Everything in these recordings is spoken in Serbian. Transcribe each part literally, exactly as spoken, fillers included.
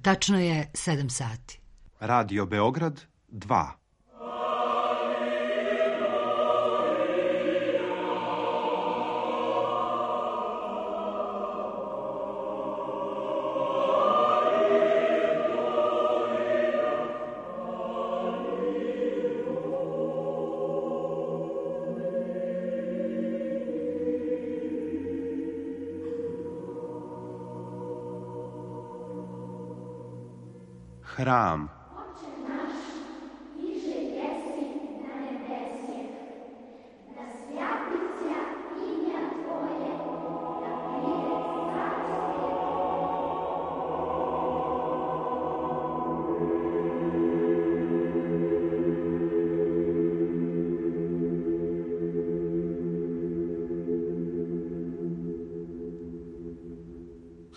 Tačno je sedam sati. Radio Beograd dva. Hram. Oče naš, iže jesi na nebesje, da svjati se imja Tvoje, da pride carstvo.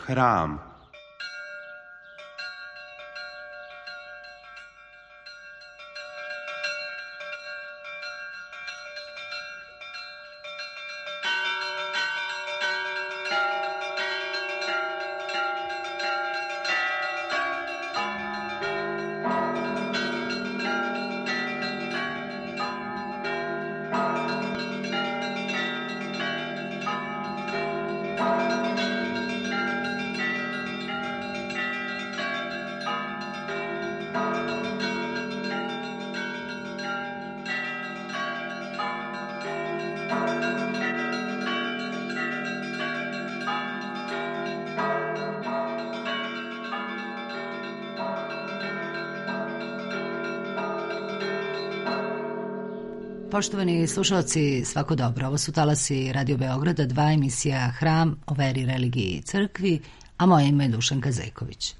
Hram. Poštovani slušalci, svako dobro. Ovo su talasi Radio Beograda dva, emisija Hram o veri, religiji i crkvi, a moje ime je Dušanka Zejković.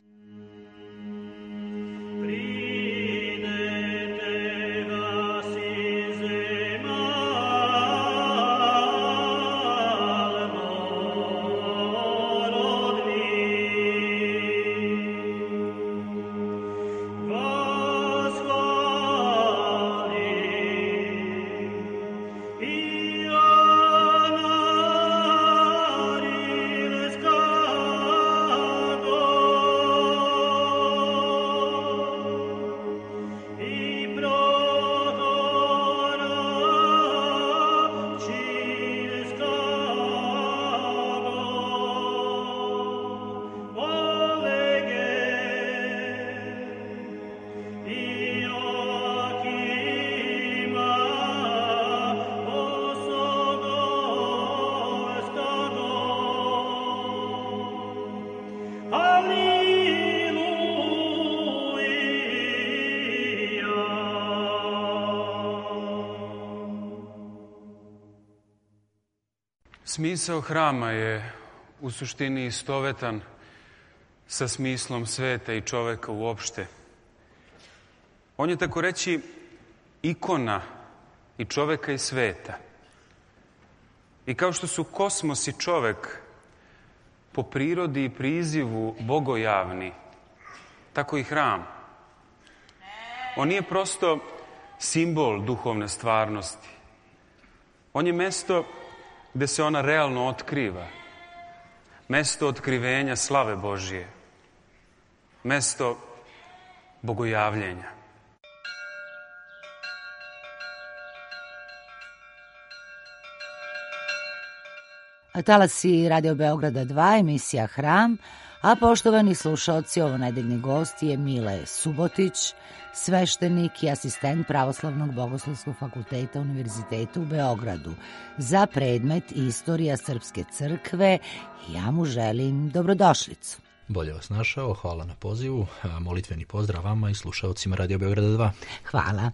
Smisao hrama je u suštini istovetan sa smislom sveta i čoveka uopšte. On je tako reći ikona i čoveka i sveta. I kao što su kosmos i čovek po prirodi i prizivu bogojavni, tako i hram. On nije prosto simbol duhovne stvarnosti. On je mesto gde se ona realno otkriva. Mesto otkrivenja slave Božije. Mesto bogojavljenja. Talasi Radio Beograda dva, emisija Hram, a poštovani slušaoci, ovo nedeljni gost je Mile Subotić, sveštenik i asistent Pravoslavnog bogoslovskog fakulteta Univerziteta u Beogradu za predmet Istorija Srpske crkve i ja mu želim dobrodošlicu. Bolje vas našao, hvala na pozivu, molitveni pozdrav vama i slušaocima Radio Beograda dva. Hvala.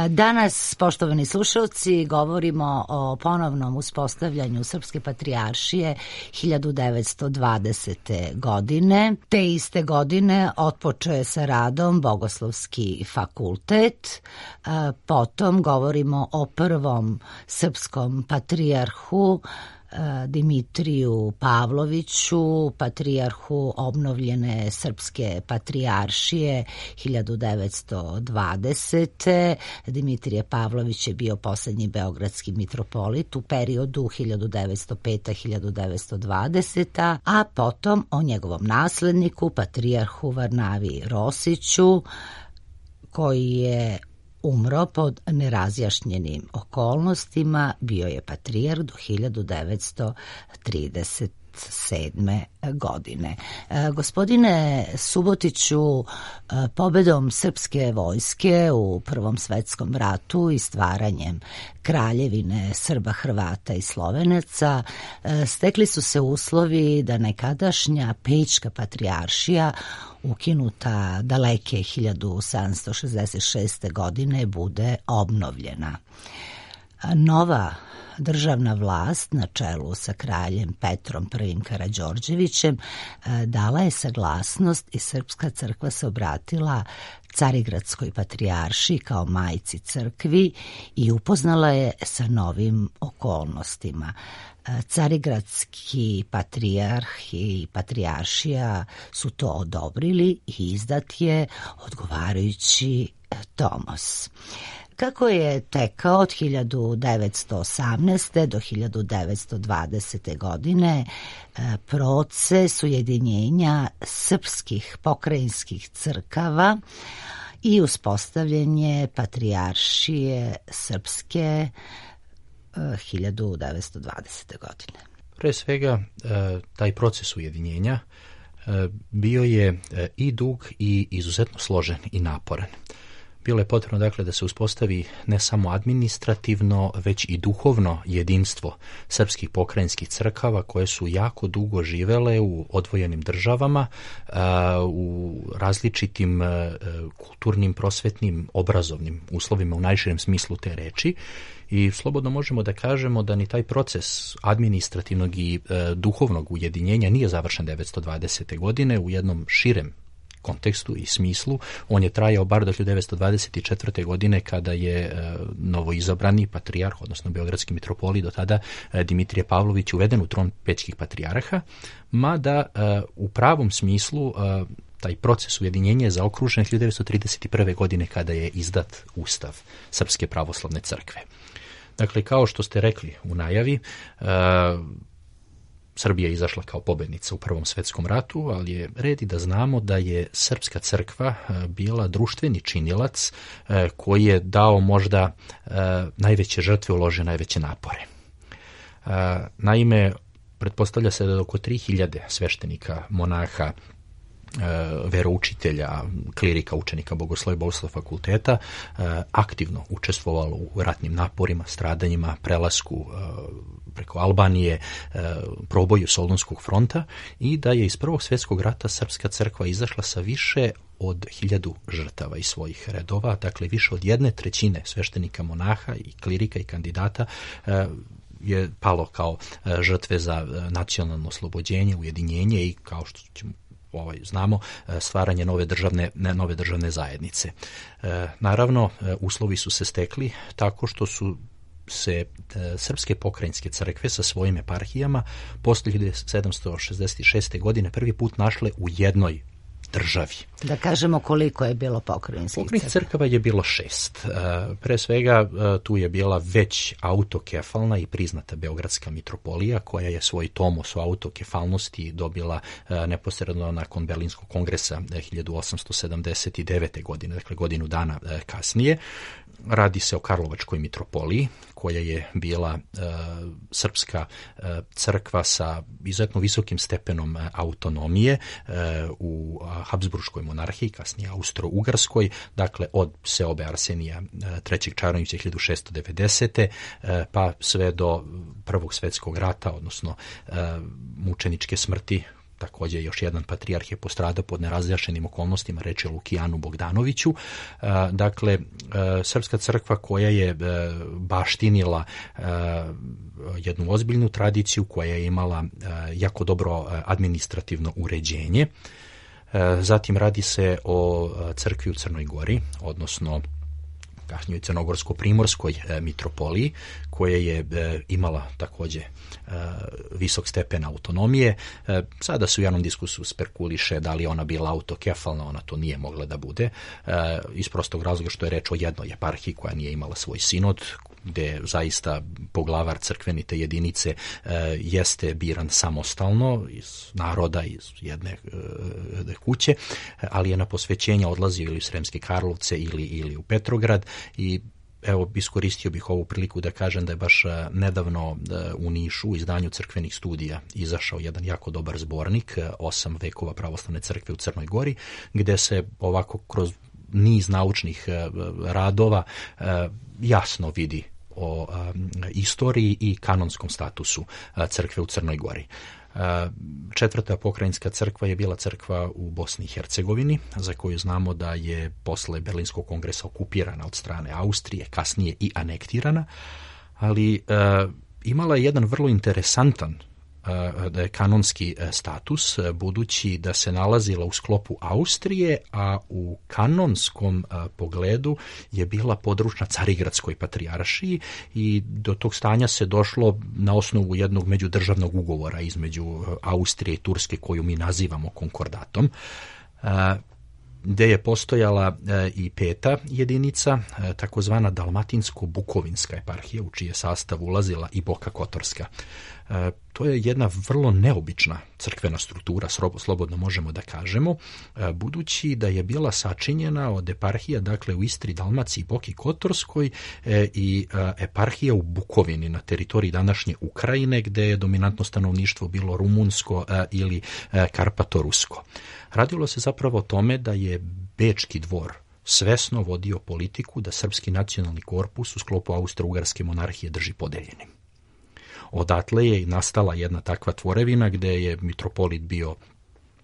Danas, poštovani slušalci, govorimo o ponovnom uspostavljanju Srpske patrijaršije hiljadu devetsto dvadesete. godine. Te iste godine otpočeo je sa radom Bogoslovski fakultet. Potom govorimo o prvom srpskom patrijarhu Dimitriju Pavloviću, patrijarhu obnovljene Srpske patrijaršije hiljadu devetsto dvadesete. Dimitrije Pavlović je bio posljednji beogradski mitropolit u periodu hiljadu devetsto peta do hiljadu devetsto dvadeseta. a potom o njegovom nasledniku, patrijarhu Varnavi Rosiću, koji je umro pod nerazjašnjenim okolnostima, bio je patrijarh do hiljadu devetsto trideset sedme godine. E, gospodine Subotiću, pobedom srpske vojske u Prvom svetskom ratu i stvaranjem kraljevine Srba, Hrvata i Slovenaca e, stekli su se uslovi da nekadašnja Pećka patrijaršija, ukinuta daleke hiljadu sedamsto šezdeset šeste. godine, bude obnovljena. Nova državna vlast na čelu sa kraljem Petrom prvim Karađorđevićem dala je saglasnost i Srpska crkva se obratila Carigradskoj patrijaršiji kao majci crkvi i upoznala je sa novim okolnostima. Carigradski patrijarh i patrijaršija su to odobrili i izdat je odgovarajući tomos. Kako je tekao od hiljadu devetsto osamnaeste. do hiljadu devetsto dvadesete. godine proces ujedinjenja srpskih pokrajinskih crkava i uspostavljanje patrijaršije srpske hiljadu devetsto dvadesete. godine. Pre svega, taj proces ujedinjenja bio je i dug i izuzetno složen i naporan. Bilo je potrebno dakle da se uspostavi ne samo administrativno, već i duhovno jedinstvo srpskih pokrajinskih crkava koje su jako dugo živele u odvojenim državama, u različitim kulturnim, prosvetnim, obrazovnim uslovima u najširem smislu te reči. I slobodno možemo da kažemo da ni taj proces administrativnog i e, duhovnog ujedinjenja nije završen devetsto dvadesete. godine u jednom širem kontekstu i smislu. On je trajao bar do hiljadu devetsto dvadeset četvrte. godine kada je e, novoizabrani patrijarh, odnosno beogradski mitropolit do tada e, Dimitrije Pavlović uveden u tron pećkih patrijarha, mada e, u pravom smislu e, taj proces ujedinjenja je zaokružen hiljadu devetsto trideset prve. godine kada je izdat Ustav Srpske pravoslavne crkve. Dakle, kao što ste rekli u najavi, e, Srbija je izašla kao pobednica u Prvom svetskom ratu, ali je red i da znamo da je Srpska crkva bila društveni činilac e, koji je dao možda e, najveće žrtve, uložio najveće napore. E, naime, pretpostavlja se da je oko tri hiljade sveštenika, monaha, veroučitelja, klirika, učenika Bogoslovja i Bogoslovnog fakulteta aktivno učestvovalo u ratnim naporima, stradanjima, prelasku preko Albanije, proboju Solunskog fronta i da je iz Prvog svjetskog rata Srpska crkva izašla sa više od hiljadu žrtava iz svojih redova, dakle više od jedne trećine sveštenika, monaha i klirika i kandidata je palo kao žrtve za nacionalno oslobođenje, ujedinjenje i, kao što ćemo Ovaj, znamo, stvaranje nove državne, nove državne zajednice. E, naravno, uslovi su se stekli tako što su se e, srpske pokrajinske crkve sa svojim eparhijama posle hiljadu sedamsto šezdeset šeste. godine prvi put našle u jednoj državi. Da kažemo koliko je bilo pokrajinskih Pokrajinskih crkava je bilo šest. Pre svega tu je bila već autokefalna i priznata Beogradska mitropolija koja je svoj tomos o autokefalnosti dobila neposredno nakon Berlinskog kongresa hiljadu osamsto sedamdeset devete. godine, dakle godinu dana kasnije. Radi se o Karlovačkoj mitropoliji koja je bila e, srpska e, crkva sa izuzetno visokim stepenom e, autonomije e, u Habsburškoj monarhiji, kasnije Austro-Ugarskoj, dakle od seobe Arsenija e, trećeg Čaronića hiljadu šessto devedesete. E, pa sve do Prvog svjetskog rata, odnosno e, mučeničke smrti. Također još jedan patrijarh je postradao pod nerazjašnjenim okolnostima, reč je Lukijanu Bogdanoviću. Dakle, Srpska crkva koja je baštinila jednu ozbiljnu tradiciju, koja je imala jako dobro administrativno uređenje. Zatim radi se o crkvi u Crnoj Gori, odnosno kasnije crnogorsko-primorskoj mitropoliji, koja je imala takođe visok stepen autonomije. Sada se u javnom diskusu spekuliše da li ona bila autokefalna, ona to nije mogla da bude, iz prostog razloga što je reč o jednoj eparhiji koja nije imala svoj sinod, gde zaista poglavar crkveni te jedinice e, jeste biran samostalno iz naroda, iz jedne e, kuće, ali je na posvećenja odlazio ili u Sremske Karlovce ili, ili u Petrograd. I evo, iskoristio bih ovu priliku da kažem da je baš nedavno u Nišu u izdanju crkvenih studija izašao jedan jako dobar zbornik, osam vekova pravoslavne crkve u Crnoj Gori, gde se ovako kroz niz naučnih radova jasno vidi o istoriji i kanonskom statusu crkve u Crnoj Gori. Četvrta pokrajinska crkva je bila crkva u Bosni i Hercegovini, za koju znamo da je posle Berlinskog kongresa okupirana od strane Austrije, kasnije i anektirana, ali imala je jedan vrlo interesantan da je kanonski status, budući da se nalazila u sklopu Austrije, a u kanonskom pogledu je bila područna Carigradskoj patrijaršiji i do tog stanja se došlo na osnovu jednog međudržavnog ugovora između Austrije i Turske, koju mi nazivamo konkordatom, gde je postojala i peta jedinica, takozvana Dalmatinsko-Bukovinska eparhija, u čije sastav ulazila i Boka Kotorska. To je jedna vrlo neobična crkvena struktura, slobodno možemo da kažemo, budući da je bila sačinjena od eparhija, dakle u Istri, Dalmaciji, Boki Kotorskoj i eparhija u Bukovini na teritoriji današnje Ukrajine, gde je dominantno stanovništvo bilo rumunsko ili karpatorusko. Radilo se zapravo o tome da je Bečki dvor svesno vodio politiku da srpski nacionalni korpus u sklopu Austro-Ugarske monarhije drži podeljenim. Odatle je nastala jedna takva tvorevina gde je mitropolit bio,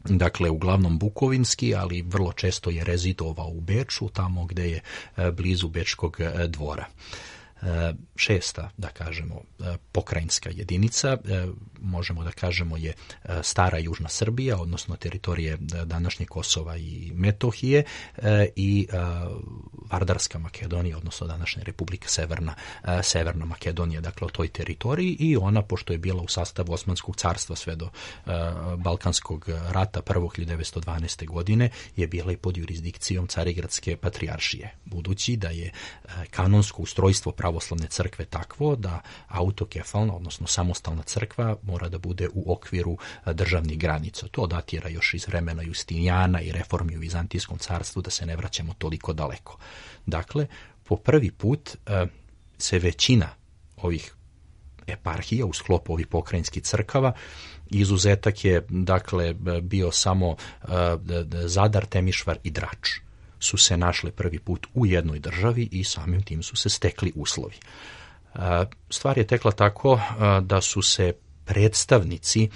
dakle, uglavnom bukovinski, ali vrlo često je rezidovao u Beču, tamo gde je blizu Bečkog dvora. Šesta, da kažemo, pokrajinska jedinica, možemo da kažemo je stara južna Srbija, odnosno teritorije današnje Kosova i Metohije, i Vardarska Makedonija, odnosno današnja Republika Severna, Severna Makedonija, dakle o toj teritoriji, i ona, pošto je bila u sastavu Osmanskog carstva sve do Balkanskog rata prvog hiljadu devetsto dvanaeste. godine, je bila i pod jurisdikcijom Carigradske patrijaršije, budući da je kanonsko ustrojstvo pravoslavne crkve takvo da autokefalna, odnosno samostalna crkva mora da bude u okviru državnih granica. To datira još iz vremena Justinijana i reformi u Vizantijskom carstvu, da se ne vraćamo toliko daleko. Dakle, po prvi put se većina ovih eparhija u sklopu ovih pokrajinskih crkava, izuzetak je, dakle, bio samo Zadar, Temišvar i Drač, su se našle prvi put u jednoj državi i samim tim su se stekli uslovi. Stvar je tekla tako da su se predstavnici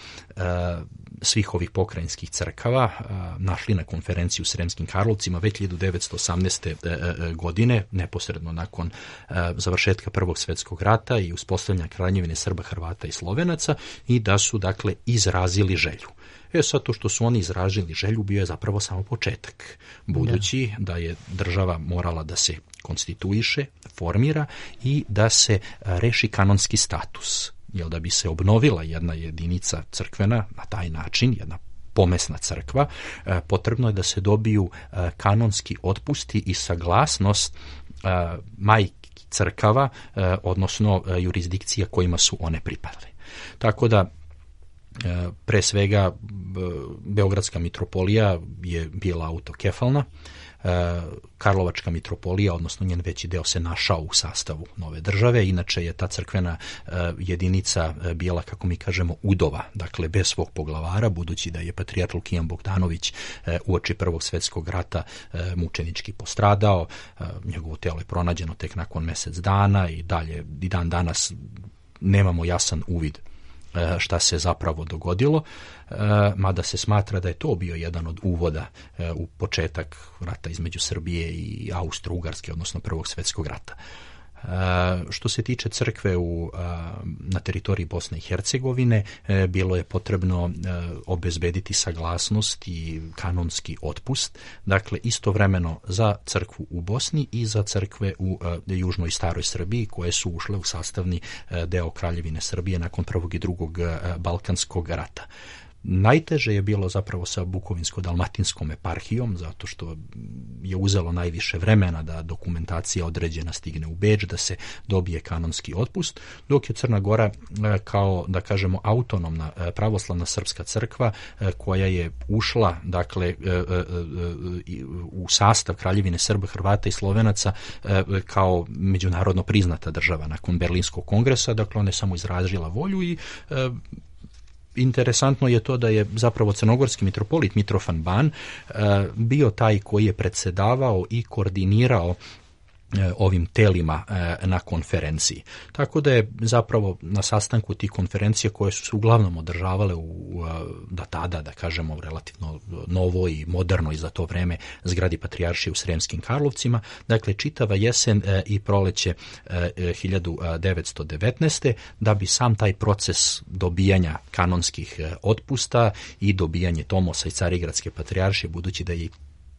svih ovih pokrajinskih crkava našli na konferenciji u Sremskim Karlovcima već hiljadu devetsto osamnaeste. godine, neposredno nakon završetka Prvog svjetskog rata i uspostavljanja Kraljevine Srba, Hrvata i Slovenaca, i da su, dakle, izrazili želju. E sad, to što su oni izrazili želju bio je zapravo samo početak, budući da je država morala da se konstituiše, formira i da se reši kanonski status. Jer da bi se obnovila jedna jedinica crkvena na taj način, jedna pomesna crkva, potrebno je da se dobiju kanonski otpusti i saglasnost majki crkava, odnosno jurisdikcija kojima su one pripadale. Tako da, pre svega, Beogradska mitropolija je bila autokefalna, Karlovačka mitropolija, odnosno njen veći deo, se našao u sastavu nove države. Inače je ta crkvena jedinica bila, kako mi kažemo, udova, dakle bez svog poglavara, budući da je patrijarh Lukijan Bogdanović uoči Prvog svjetskog rata mučenički postradao. Njegovo telo je pronađeno tek nakon mjesec dana i dalje i dan danas nemamo jasan uvid šta se zapravo dogodilo, mada se smatra da je to bio jedan od uvoda u početak rata između Srbije i Austro-Ugarske, odnosno Prvog svjetskog rata. Što se tiče crkve u, na teritoriji Bosne i Hercegovine, bilo je potrebno obezbediti saglasnost i kanonski otpust, dakle istovremeno za crkvu u Bosni i za crkve u južnoj staroj Srbiji, koje su ušle u sastavni deo Kraljevine Srbije nakon prvog i drugog Balkanskog rata. Najteže je bilo zapravo sa Bukovinsko-dalmatinskom eparhijom, zato što je uzelo najviše vremena da dokumentacija određena stigne u Beč, da se dobije kanonski otpust, dok je Crna Gora kao, da kažemo, autonomna pravoslavna srpska crkva koja je ušla, dakle, u sastav Kraljevine Srba, Hrvata i Slovenaca kao međunarodno priznata država nakon Berlinskog kongresa, dakle ona je samo izrazila volju i interesantno je to da je zapravo crnogorski mitropolit Mitrofan Ban bio taj koji je predsedavao i koordinirao ovim telima na konferenciji. Tako da je zapravo na sastanku tih konferencija koje su se uglavnom održavale u da tada, da kažemo, relativno novoj i modernoj za to vreme zgradi Patrijaršije u Sremskim Karlovcima, dakle čitava jesen i proleće hiljadu devetsto devetnaeste. da bi sam taj proces dobijanja kanonskih otpusta i dobijanje tomosa iz Carigradske Patrijaršije, budući da je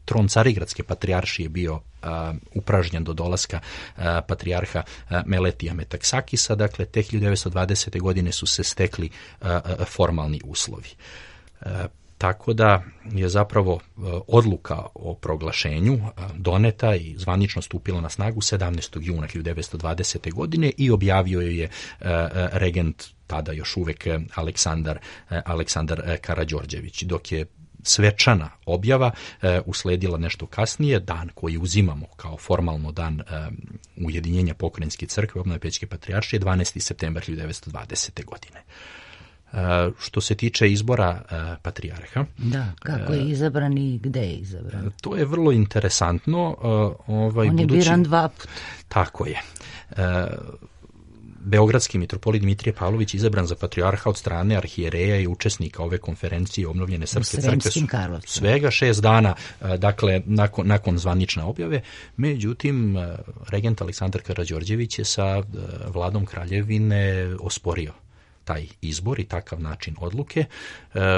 tron Carigradske Patrijaršije bio uh, upražnjen do dolaska uh, patrijarha uh, Meletija Metaksakisa, dakle te hiljadu devetsto dvadesete. godine su se stekli uh, uh, formalni uslovi. Uh, tako da je zapravo uh, odluka o proglašenju uh, doneta i zvanično stupila na snagu sedamnaestog juna hiljadu devetsto dvadesete. godine i objavio je uh, regent tada još uvek Aleksandar, uh, Aleksandar Karađorđević, dok je svečana objava e, usledila nešto kasnije, dan koji uzimamo kao formalno dan e, ujedinjenja Pokrajinske crkve, obnove Pećke Patrijaršije, dvanaesti septembar hiljadu devetsto dvadesete. godine. E, što se tiče izbora e, patrijarha. Da, kako je izabran i gde je izabran? E, to je vrlo interesantno. E, ovaj, On je budući, biran dva puta. Tako je. E, Beogradski mitropolit Dimitrije Pavlović izabran za patrijarha od strane arhijereja i učesnika ove konferencije obnovljene Srpske crkve svega šest dana, dakle, nakon, nakon zvanične objave. Međutim, regent Aleksandar Karađorđević je sa vladom Kraljevine osporio taj izbor i takav način odluke,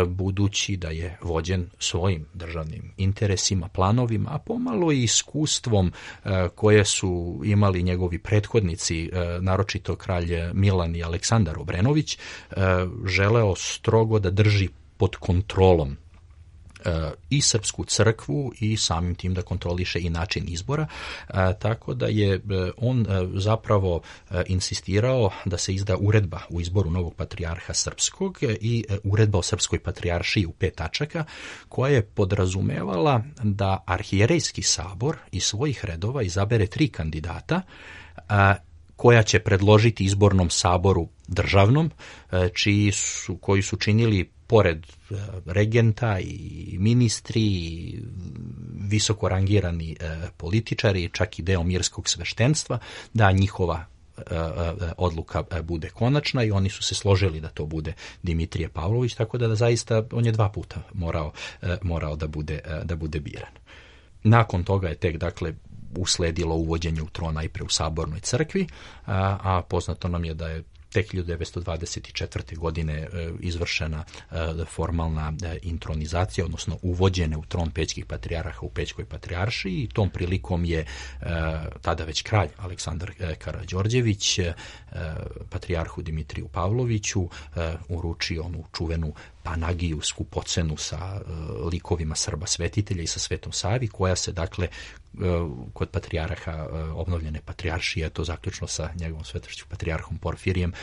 budući da je vođen svojim državnim interesima, planovima, a pomalo i iskustvom koje su imali njegovi prethodnici, naročito kralj Milan i Aleksandar Obrenović, želeo strogo da drži pod kontrolom i Srpsku crkvu i samim tim da kontroliše i način izbora, tako da je on zapravo insistirao da se izda uredba u izboru novog patrijarha srpskog i uredba o srpskoj patrijaršiji u pet tačaka, koja je podrazumevala da arhijerejski sabor iz svojih redova izabere tri kandidata koja će predložiti izbornom saboru državnom, čiji su, koji su činili pored regenta i ministri i visoko rangirani političari, čak i deo mirskog sveštenstva, da njihova odluka bude konačna i oni su se složili da to bude Dimitrije Pavlović, tako da, da zaista on je dva puta morao, morao da bude, da bude biran. Nakon toga je tek, dakle, usledilo uvođenje u tron najpre u Sabornoj crkvi, a, a poznato nam je da je tek hiljadu devetsto dvadeset četvrte. godine izvršena formalna intronizacija, odnosno uvođene u tron pećkih patrijarha u Pećkoj patrijaršiji i tom prilikom je tada već kralj Aleksandar Karađorđević patrijarhu Dimitriju Pavloviću uručio onu čuvenu panagiju, skupocenu sa likovima Srba svetitelja i sa Svetom Savi, koja se, dakle, kod patrijarha obnovljene patrijaršije, to zaključno sa njegovom svetošću patrijarhom Porfirijem,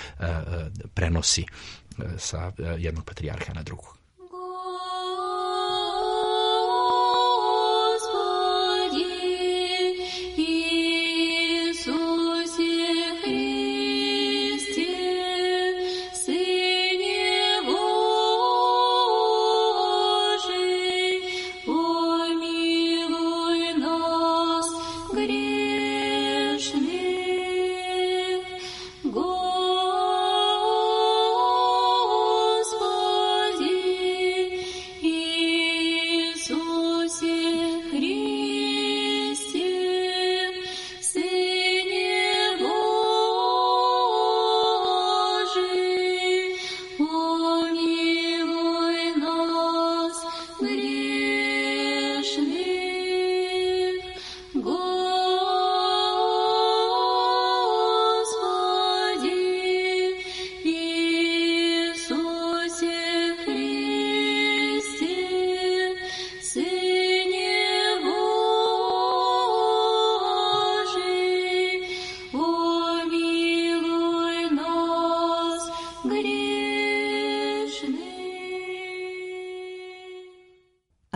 prenosi sa jednog patrijarha na drugog. Господи,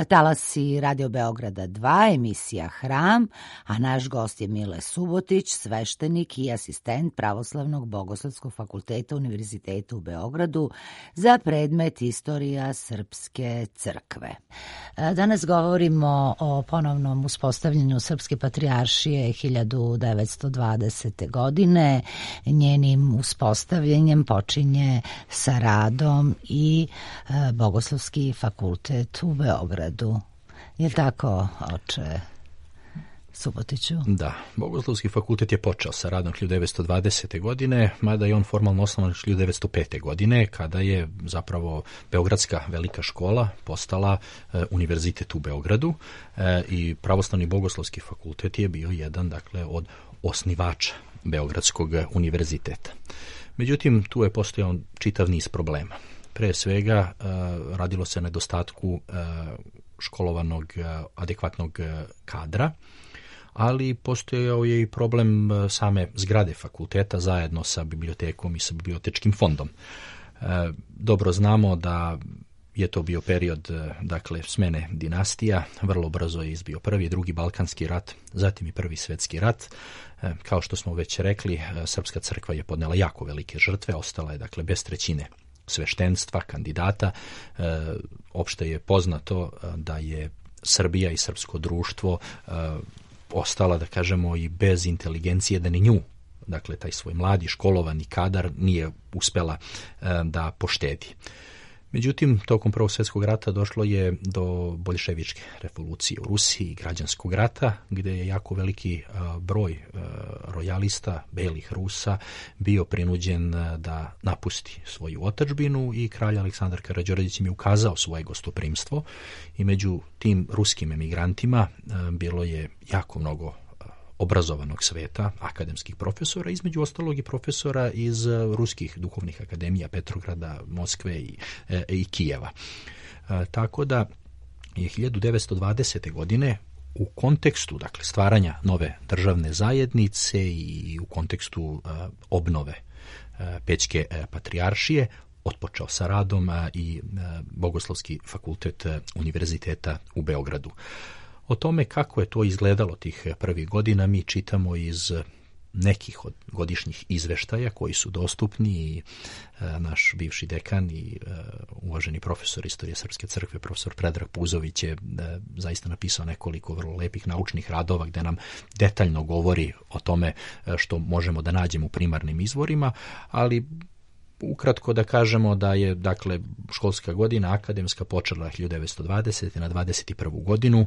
Talasi Radio Beograda dva, emisija Hram, a naš gost je Mile Subotić, sveštenik i asistent Pravoslavnog bogoslovskog fakulteta Univerziteta u Beogradu za predmet Istorija Srpske crkve. Danas govorimo o ponovnom uspostavljanju Srpske patrijaršije hiljadu devetsto dvadesete. godine. Njenim uspostavljanjem počinje sa radom i Bogoslovski fakultet u Beogradu. Je li tako, oče Subotiću? Da, Bogoslovski fakultet je počeo sa radom hiljadu devetsto dvadesete. godine, mada je on formalno osnovan hiljadu devetsto pete. godine, kada je zapravo Beogradska velika škola postala e, univerzitet u Beogradu e, i Pravoslavni bogoslovski fakultet je bio jedan, dakle, od osnivača Beogradskog univerziteta. Međutim, tu je postojao čitav niz problema. Pre svega, radilo se o nedostatku školovanog, adekvatnog kadra, ali postojao je i problem same zgrade fakulteta zajedno sa bibliotekom i sa bibliotečkim fondom. Dobro znamo da je to bio period, dakle, smene dinastija, vrlo brzo je izbio prvi i drugi Balkanski rat, zatim i prvi Svetski rat. Kao što smo već rekli, Srpska crkva je podnela jako velike žrtve, ostala je, dakle, bez trećine sveštenstva, kandidata. E, opšte je poznato da je Srbija i srpsko društvo e, ostala, da kažemo, i bez inteligencije, da ni nju, dakle, taj svoj mladi, školovani kadar nije uspela e, da poštedi. Međutim, tokom Prvog svjetskog rata došlo je do boljševičke revolucije u Rusiji, građanskog rata, gde je jako veliki broj rojalista, belih Rusa, bio prinuđen da napusti svoju otadžbinu i kralj Aleksandar Karađorđević im je ukazao svoje gostoprimstvo i među tim ruskim emigrantima bilo je jako mnogo obrazovanog sveta, akademskih profesora, između ostalog i profesora iz ruskih duhovnih akademija Petrograda, Moskve i, e, i Kijeva. E, tako da je hiljadu devetsto dvadesete. godine u kontekstu, dakle, stvaranja nove državne zajednice i u kontekstu e, obnove e, Pećke e, patrijaršije otpočeo sa radom a, i e, Bogoslovski fakultet e, Univerziteta u Beogradu. O tome kako je to izgledalo tih prvih godina mi čitamo iz nekih od godišnjih izveštaja koji su dostupni i e, naš bivši dekan i e, uvaženi profesor istorije Srpske crkve, profesor Predrag Puzović je e, zaista napisao nekoliko vrlo lepih naučnih radova gde nam detaljno govori o tome što možemo da nađemo u primarnim izvorima, ali ukratko da kažemo da je, dakle, školska godina akademska počela hiljadu devetsto dvadesete. na dvadeset prvu. godinu,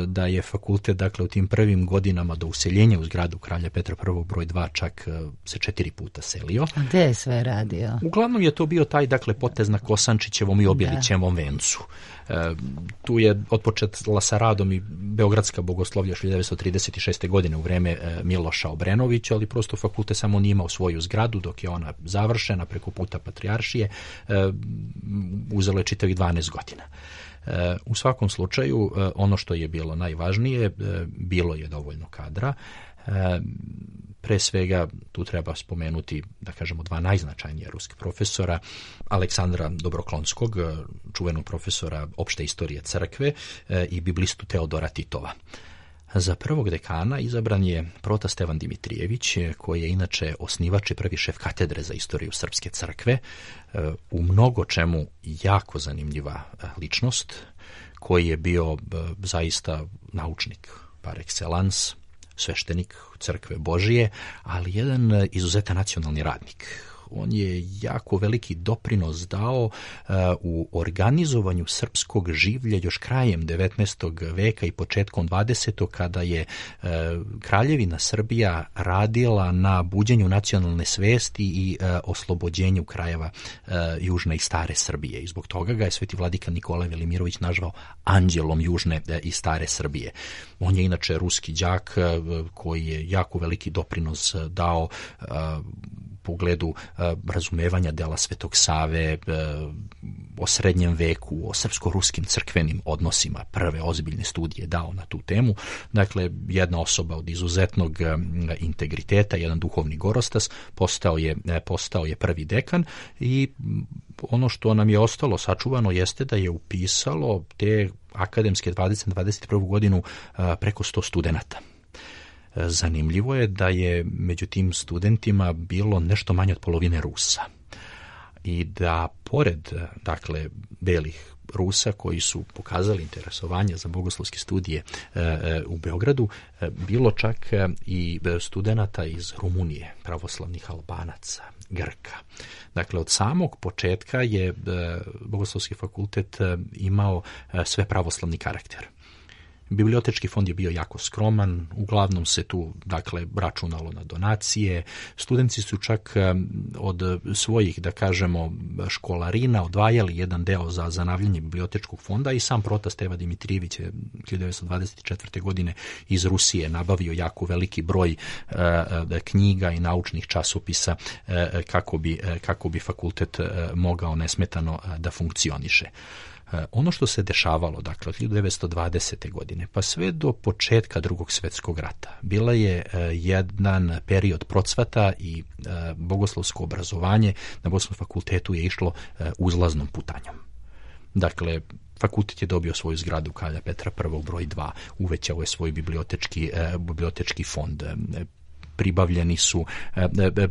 da je fakultet, dakle, u tim prvim godinama do useljenja u zgradu Kralja Petra prvog broj dva čak se četiri puta selio. A gde je sve radio? Uglavnom je to bio taj, dakle, potez na Kosančićevom i Obilićevom vencu. E, tu je otpočela sa radom i Beogradska bogoslovlja hiljadu devetsto trideset šeste. godine u vreme e, Miloša Obrenovića, ali prosto fakultet samo nije imao svoju zgradu dok je ona završena preko puta patrijaršije, e, uzelo je čitavih dvanaest godina. E, u svakom slučaju, e, ono što je bilo najvažnije, e, bilo je dovoljno kadra. E, pre svega tu treba spomenuti, da kažemo, dva najznačajnija ruskih profesora, Aleksandra Dobroklonskog, čuvenog profesora opšte istorije crkve, e, i biblistu Teodora Titova. Za prvog dekana izabran je prota Stevan Dimitrijević, koji je inače osnivač i prvi šef katedre za istoriju Srpske crkve, u mnogo čemu jako zanimljiva ličnost, koji je bio zaista naučnik par excellence, sveštenik crkve Božije, ali jedan izuzetan nacionalni radnik. On je jako veliki doprinos dao uh, u organizovanju srpskog življa još krajem devetnaestog veka i početkom dvadesetog. kada je uh, Kraljevina Srbija radila na buđenju nacionalne svesti i uh, oslobođenju krajeva uh, južne i stare Srbije. I zbog toga ga je sveti vladika Nikolaj Velimirović nazvao anđelom južne uh, i stare Srbije. On je inače ruski đak uh, koji je jako veliki doprinos dao uh, pogledu razumevanja dela Svetog Save, o srednjem veku, o srpsko-ruskim crkvenim odnosima, prve ozbiljne studije dao na tu temu. Dakle, jedna osoba od izuzetnog integriteta, jedan duhovni gorostas, postao je, postao je prvi dekan i ono što nam je ostalo sačuvano jeste da je upisalo te akademske dvadeset dvadeset prvu godinu preko sto studenata. Zanimljivo je da je među tim studentima bilo nešto manje od polovine Rusa i da pored, dakle, belih Rusa koji su pokazali interesovanje za bogoslovske studije e, u Beogradu, e, bilo čak i studenata iz Rumunije, pravoslavnih Albanaca, Grka. Dakle, od samog početka je e, Bogoslovski fakultet e, imao e, sve pravoslavni karakter. Bibliotečki fond je bio jako skroman, uglavnom se tu, dakle, računalo na donacije. Studenti su čak od svojih, da kažemo, školarina odvajali jedan deo za zanavljanje bibliotečkog fonda i sam protas Steva Dimitrijević je hiljadu devetsto dvadeset četvrte. godine iz Rusije nabavio jako veliki broj uh, knjiga i naučnih časopisa uh, kako bi, uh, kako bi fakultet uh, mogao nesmetano uh, da funkcioniše. Ono što se dešavalo, dakle, od hiljadu devetsto dvadesete. godine pa sve do početka Drugog svjetskog rata, bila je jedan period procvata i bogoslovsko obrazovanje na Bogoslovskom fakultetu je išlo uzlaznom putanjom. Dakle, fakultet je dobio svoju zgradu Kralja Petra I. broj dva, uvećao je svoj bibliotečki, bibliotečki fond, pribavljeni su,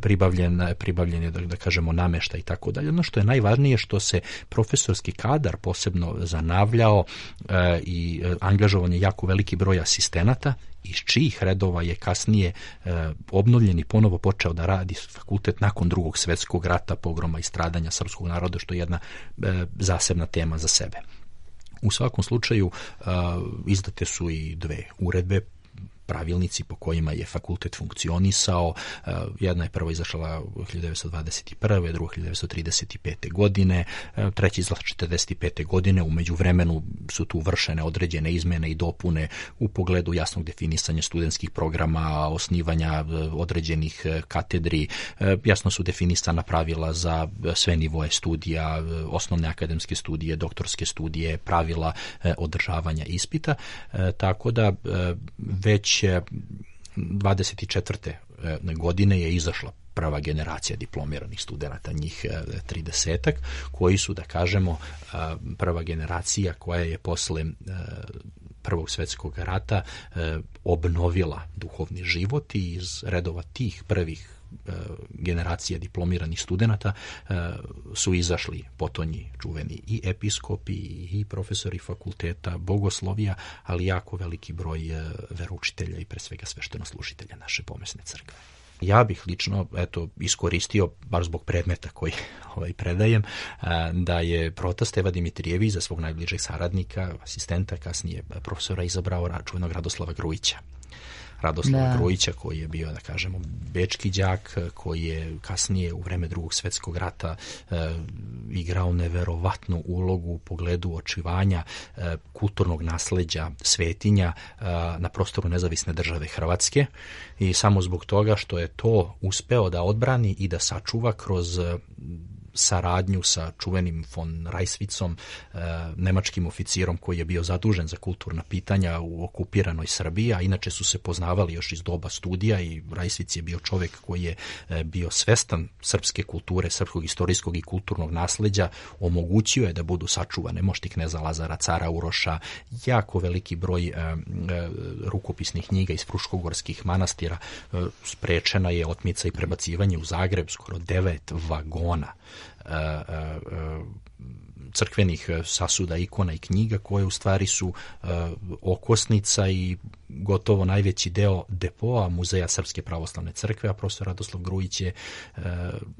pribavljen, pribavljen je, da, da kažemo, namešta i tako dalje. Ono što je najvažnije što se profesorski kadar posebno zanavljao e, i angažovan je jako veliki broj asistenata, iz čijih redova je kasnije e, obnovljen i ponovo počeo da radi fakultet nakon Drugog svjetskog rata, pogroma i stradanja srpskog naroda, što je jedna e, zasebna tema za sebe. U svakom slučaju e, izdate su i dve uredbe, pravilnici po kojima je fakultet funkcionisao. Jedna je prvo izašla hiljadu devetsto dvadeset prve. druga hiljadu devetsto trideset pete. godine, treća izašla četrdeset pete. godine. U međuvremenu su tu vršene određene izmene i dopune u pogledu jasnog definisanja studentskih programa, osnivanja određenih katedri, jasno su definisana pravila za sve nivoe studija, osnovne akademske studije, doktorske studije, pravila održavanja ispita, tako da već dvadeset četvrte. godine je izašla prva generacija diplomiranih studenata, njih tridesetak, koji su, da kažemo, prva generacija koja je posle Prvog svjetskog rata obnovila duhovni život i iz redova tih prvih generacija diplomiranih studenata su izašli potonji čuveni i episkopi i profesori fakulteta, bogoslovija, ali jako veliki broj veroučitelja i pre svega sveštenoslužitelja naše pomesne crkve. Ja bih lično, eto, iskoristio, bar zbog predmeta koji ovaj, predajem, da je protas Steva Dimitrijević za svog najbližeg saradnika, asistenta, kasnije profesora, izabrao čuvenog Radoslava Grujića. Radoslava Grujića, koji je bio, da kažemo, bečki đak, koji je kasnije u vreme Drugog svjetskog rata e, igrao neverovatnu ulogu u pogledu očuvanja e, kulturnog nasleđa svetinja e, na prostoru nezavisne države Hrvatske i samo zbog toga što je to uspeo da odbrani i da sačuva kroz e, saradnju sa čuvenim von Rajsvicom, e, nemačkim oficirom koji je bio zadužen za kulturna pitanja u okupiranoj Srbiji, a inače su se poznavali još iz doba studija i Rajsvic je bio čovjek koji je e, bio svestan srpske kulture, srpskog istorijskog i kulturnog nasleđa, omogućio je da budu sačuvane mošti kneza Lazara, cara Uroša, jako veliki broj e, e, rukopisnih knjiga iz fruškogorskih manastira, e, sprečena je otmica i prebacivanje u Zagreb, skoro devet vagona crkvenih sasuda, ikona i knjiga koje u stvari su okosnica i gotovo najveći deo depoa Muzeja Srpske pravoslavne crkve, a profesor Radoslav Grujić je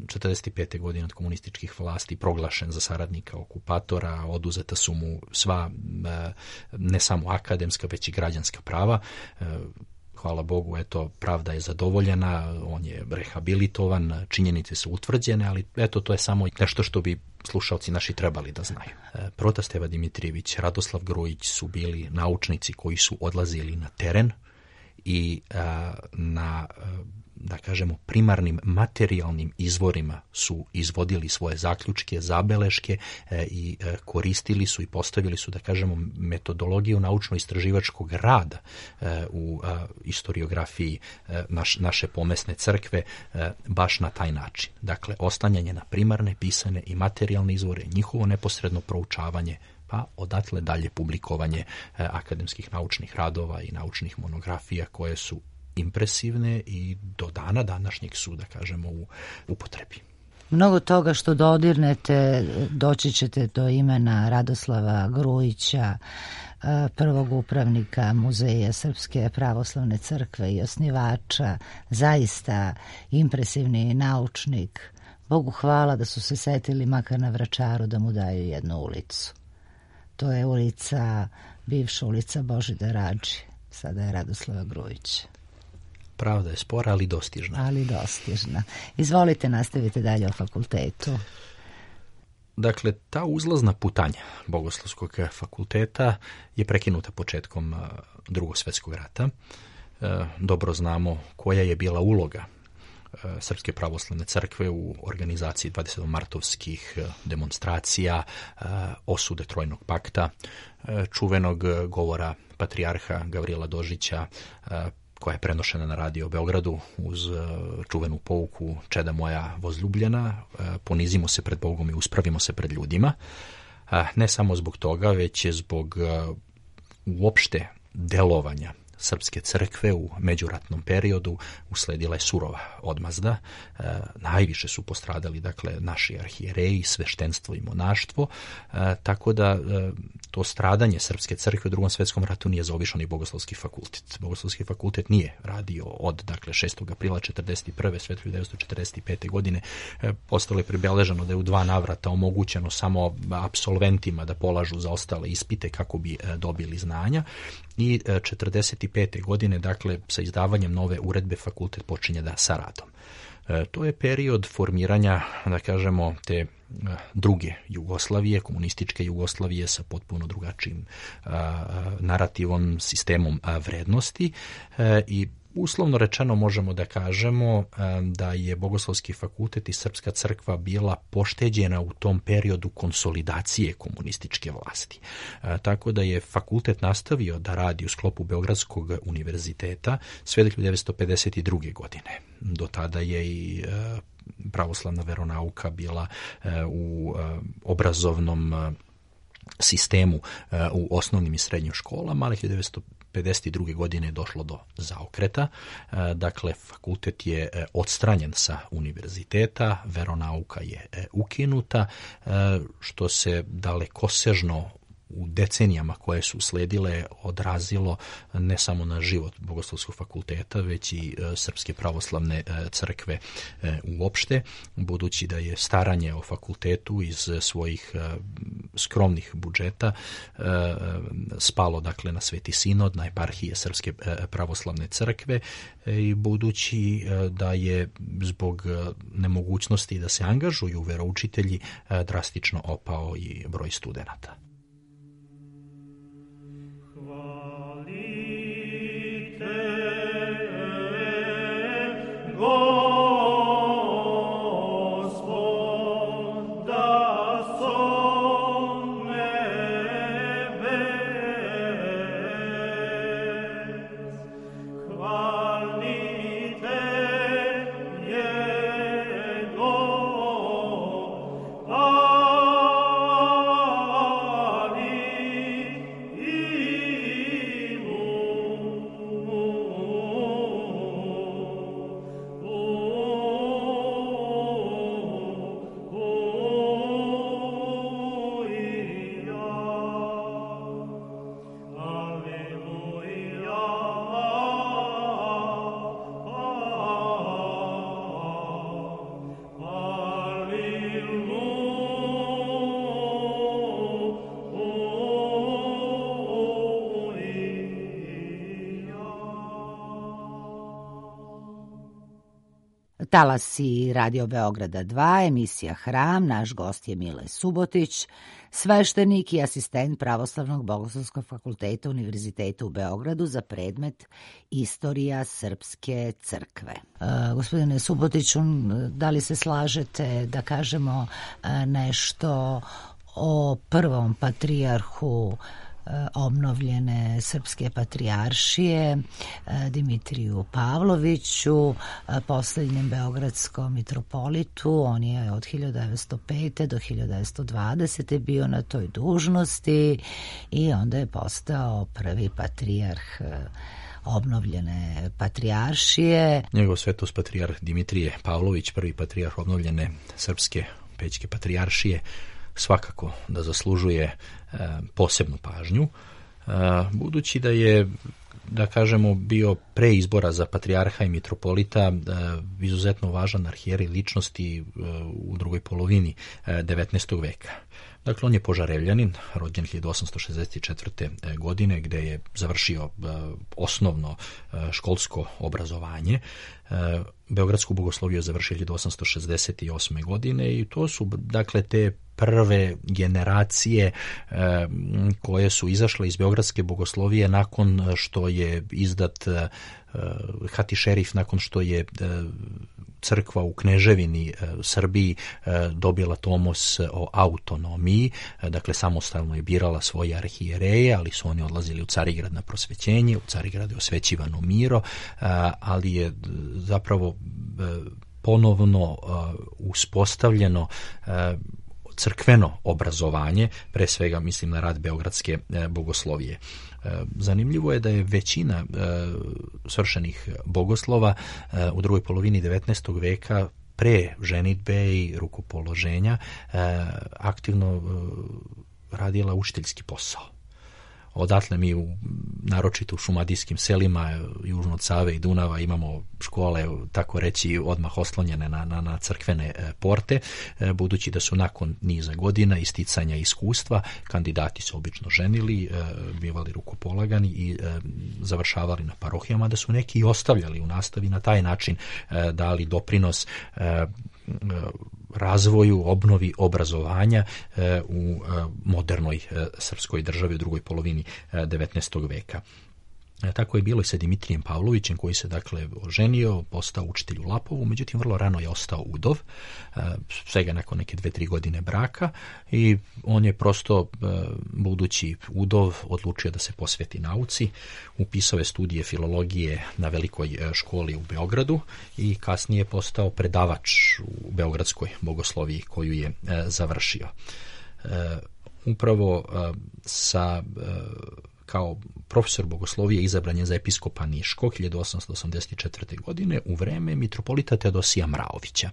četrdeset pete. godine od komunističkih vlasti proglašen za saradnika okupatora, oduzeta su mu sva ne samo akademska već i građanska prava. Hvala Bogu, eto, pravda je zadovoljena, on je rehabilitovan, činjenice su utvrđene, ali eto, to je samo nešto što bi slušalci naši trebali da znaju. Protas Steva Dimitrijević, Radoslav Grujić su bili naučnici koji su odlazili na teren i a, na a, da kažemo, primarnim materijalnim izvorima su izvodili svoje zaključke, zabeleške i koristili su i postavili su, da kažemo, metodologiju naučno-istraživačkog rada u istoriografiji naš, naše pomesne crkve baš na taj način. Dakle, oslanjanje na primarne, pisane i materijalne izvore, njihovo neposredno proučavanje, pa odatle dalje publikovanje akademskih naučnih radova i naučnih monografija koje su impresivne i do dana današnjeg su, da kažemo, u upotrebi. Mnogo toga što dodirnete, doći ćete do imena Radoslava Grujića, prvog upravnika Muzeja Srpske pravoslavne crkve i osnivača, zaista impresivni naučnik. Bogu hvala da su se setili makar na Vračaru da mu daju jednu ulicu. To je ulica, bivša ulica Božidara Radži, sada je Radoslava Grujića. Pravda je spora, ali dostižna. Ali dostižna. Izvolite, nastavite dalje o fakultetu. Dakle, ta uzlazna putanja Bogoslovskog fakulteta je prekinuta početkom Drugog svjetskog rata. Dobro znamo koja je bila uloga Srpske pravoslavne crkve u organizaciji dvadesetomartovskih demonstracija, osude Trojnog pakta, čuvenog govora patrijarha Gavrila Dožića, koja je prenošena na radio u Beogradu uz čuvenu pouku Čeda moja vozljubljena, ponizimo se pred Bogom i uspravimo se pred ljudima. Ne samo zbog toga, već je zbog uopšte delovanja Srpske crkve u međuratnom periodu usledila je surova odmazda. E, najviše su postradali, dakle, naši arhijereji, sveštenstvo i monaštvo, e, tako da e, to stradanje Srpske crkve u Drugom svjetskom ratu nije zaobišao ni Bogoslovski fakultet. Bogoslovski fakultet nije radio od, dakle, šestog aprila četrdeset prve sve do hiljadu devetsto četrdeset pete. godine. E, ostalo je pribeleženo da je u dva navrata omogućeno samo apsolventima da polažu za ostale ispite kako bi e, dobili znanja. I četrdeset pete. godine, dakle, sa izdavanjem nove uredbe fakultet počinje da sa radom. E, to je period formiranja, da kažemo, te e, druge Jugoslavije, komunističke Jugoslavije sa potpuno drugačijim e, narativom, sistemom a, vrednosti e, i uslovno rečeno možemo da kažemo da je Bogoslovski fakultet i Srpska crkva bila pošteđena u tom periodu konsolidacije komunističke vlasti. Tako da je fakultet nastavio da radi u sklopu Beogradskog univerziteta sve do hiljadu devetsto pedeset druge. godine. Do tada je i pravoslavna veronauka bila u obrazovnom sistemu u osnovnim i srednjim školama, ali hiljadu devetsto pedeset druge. godine je došlo do zaokreta. Dakle, fakultet je odstranjen sa univerziteta, veronauka je ukinuta, što se dalekosežno u decenijama koje su sledile odrazilo ne samo na život Bogoslovskog fakulteta, već i Srpske pravoslavne crkve uopšte, budući da je staranje o fakultetu iz svojih skromnih budžeta spalo, dakle, na Sveti sinod, na eparhije Srpske pravoslavne crkve, i budući da je zbog nemogućnosti da se angažuju veroučitelji drastično opao i broj studenata. Oh Talasi Radio Beograda dva, emisija Hram, naš gost je Mile Subotić, sveštenik i asistent Pravoslavnog bogoslovskog fakulteta Univerziteta u Beogradu za predmet Istorija Srpske crkve. E, gospodine Subotiću, da li se slažete da kažemo nešto o prvom patrijarhu obnovljene Srpske patrijaršije Dimitriju Pavloviću, posljednjem beogradskom mitropolitu? On je od hiljadu devetsto pete do hiljadu devetsto dvadesete bio na toj dužnosti i onda je postao prvi patrijarh obnovljene patrijaršije. Njegov svetost patrijarh Dimitrije Pavlović, prvi patrijarh obnovljene Srpske pećke patrijaršije, svakako da zaslužuje e, posebnu pažnju, e, budući da je, da kažemo, bio pre izbora za patrijarha i mitropolita e, izuzetno važan arhijerej ličnosti e, u drugoj polovini e, devetnaestog veka. Dakle, on je Požarevljanin, rođen hiljadu osamsto šezdeset četvrte. godine, gde je završio e, osnovno e, školsko obrazovanje. E, Beogradsku bogosloviju završio hiljadu osamsto šezdeset osme. godine i to su, dakle, te prve generacije e, koje su izašle iz Beogradske bogoslovije nakon što je izdat e, hati šerif, nakon što je e, crkva u Kneževini e, Srbiji e, dobila tomos o autonomiji, e, dakle samostalno je birala svoje arhijereje, ali su oni odlazili u Carigrad na prosvećenje, u Carigradu je osvećivano miro, e, ali je zapravo e, ponovno e, uspostavljeno e, crkveno obrazovanje, pre svega mislim na rad Beogradske e, bogoslovije. E, zanimljivo je da je većina e, svršenih bogoslova e, u drugoj polovini devetnaestog veka pre ženidbe i rukopoloženja e, aktivno e, radila učiteljski posao. Odatle mi, u, naročito u šumadijskim selima, južno od Save i Dunava, imamo škole, tako reći, odmah oslonjene na, na, na crkvene e, porte, e, budući da su nakon niza godina isticanja iskustva, kandidati se obično ženili, e, bivali rukopolagani i e, završavali na parohijama, da su neki i ostavljali u nastavi, na taj način e, dali doprinos e, razvoju, obnovi obrazovanja e, u e, modernoj e, srpskoj državi u drugoj polovini e, devetnaestog veka. E, tako je bilo i sa Dimitrijem Pavlovićem, koji se, dakle, oženio, postao učitelj u Lapovu, međutim vrlo rano je ostao udov, e, svega nakon neke dve, tri godine braka, i on je prosto, e, budući udov, odlučio da se posveti nauci, upisao je studije filologije na velikoj e, školi u Beogradu i kasnije postao predavač u Beogradskoj bogosloviji koju je e, završio. E, upravo e, sa e, kao profesor bogoslovije izabran je za episkopa Niškog hiljadu osamsto osamdeset četvrte. godine u vreme mitropolita Teodosija Mraovića.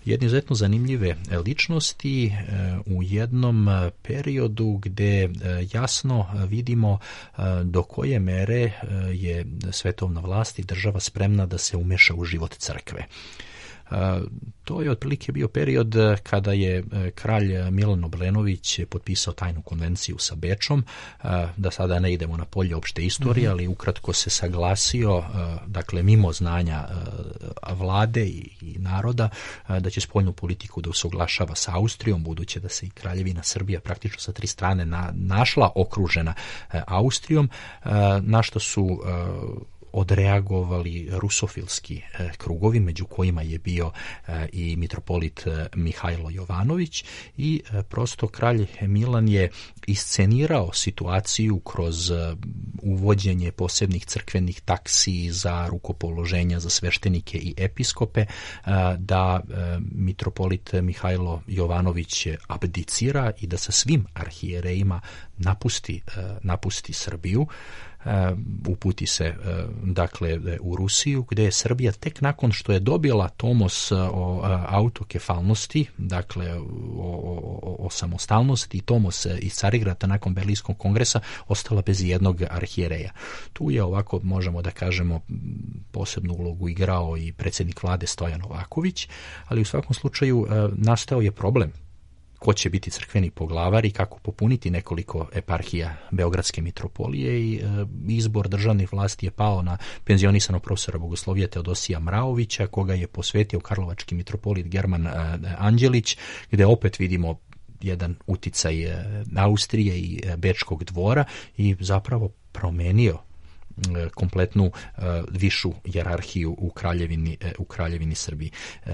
Jedne izuzetno zanimljive ličnosti u jednom periodu gde jasno vidimo do koje mere je svetovna vlast i država spremna da se umeša u život crkve. To je otprilike bio period kada je kralj Milan Obrenović potpisao tajnu konvenciju sa Bečom, da sada ne idemo na polje opšte istorije, ali ukratko se saglasio, dakle mimo znanja vlade i naroda, da će spoljnu politiku da usaglašava sa Austrijom, budući da se i kraljevina Srbija praktično sa tri strane na, našla okružena Austrijom, na što su odreagovali rusofilski e, krugovi, među kojima je bio e, i mitropolit e, Mihajlo Jovanović, i e, prosto kralj Milan je iscenirao situaciju kroz e, uvođenje posebnih crkvenih taksi za rukopoloženja za sveštenike i episkope, e, da e, mitropolit Mihajlo Jovanović abdicira i da sa svim arhijerejima napusti, e, napusti Srbiju. Uh, uputi se uh, dakle u Rusiju, gde je Srbija tek nakon što je dobila tomos uh, o uh, autokefalnosti, dakle o, o, o samostalnosti, i tomos uh, iz Carigrada nakon Berlinskog kongresa, ostala bez jednog arhijereja. Tu je, ovako možemo da kažemo, posebnu ulogu igrao i predsjednik vlade Stojan Novaković, ali u svakom slučaju uh, nastao je problem ko će biti crkveni poglavar i kako popuniti nekoliko eparhija Beogradske mitropolije i e, izbor državnih vlasti je pao na penzionisanog profesora bogoslovije Teodosija Mraovića, koga je posvetio karlovački mitropolit German e, Anđelić, gde opet vidimo jedan uticaj e, Austrije i e, Bečkog dvora i zapravo promenio kompletnu uh, višu jerarhiju u kraljevini, uh, u kraljevini Srbiji. Uh,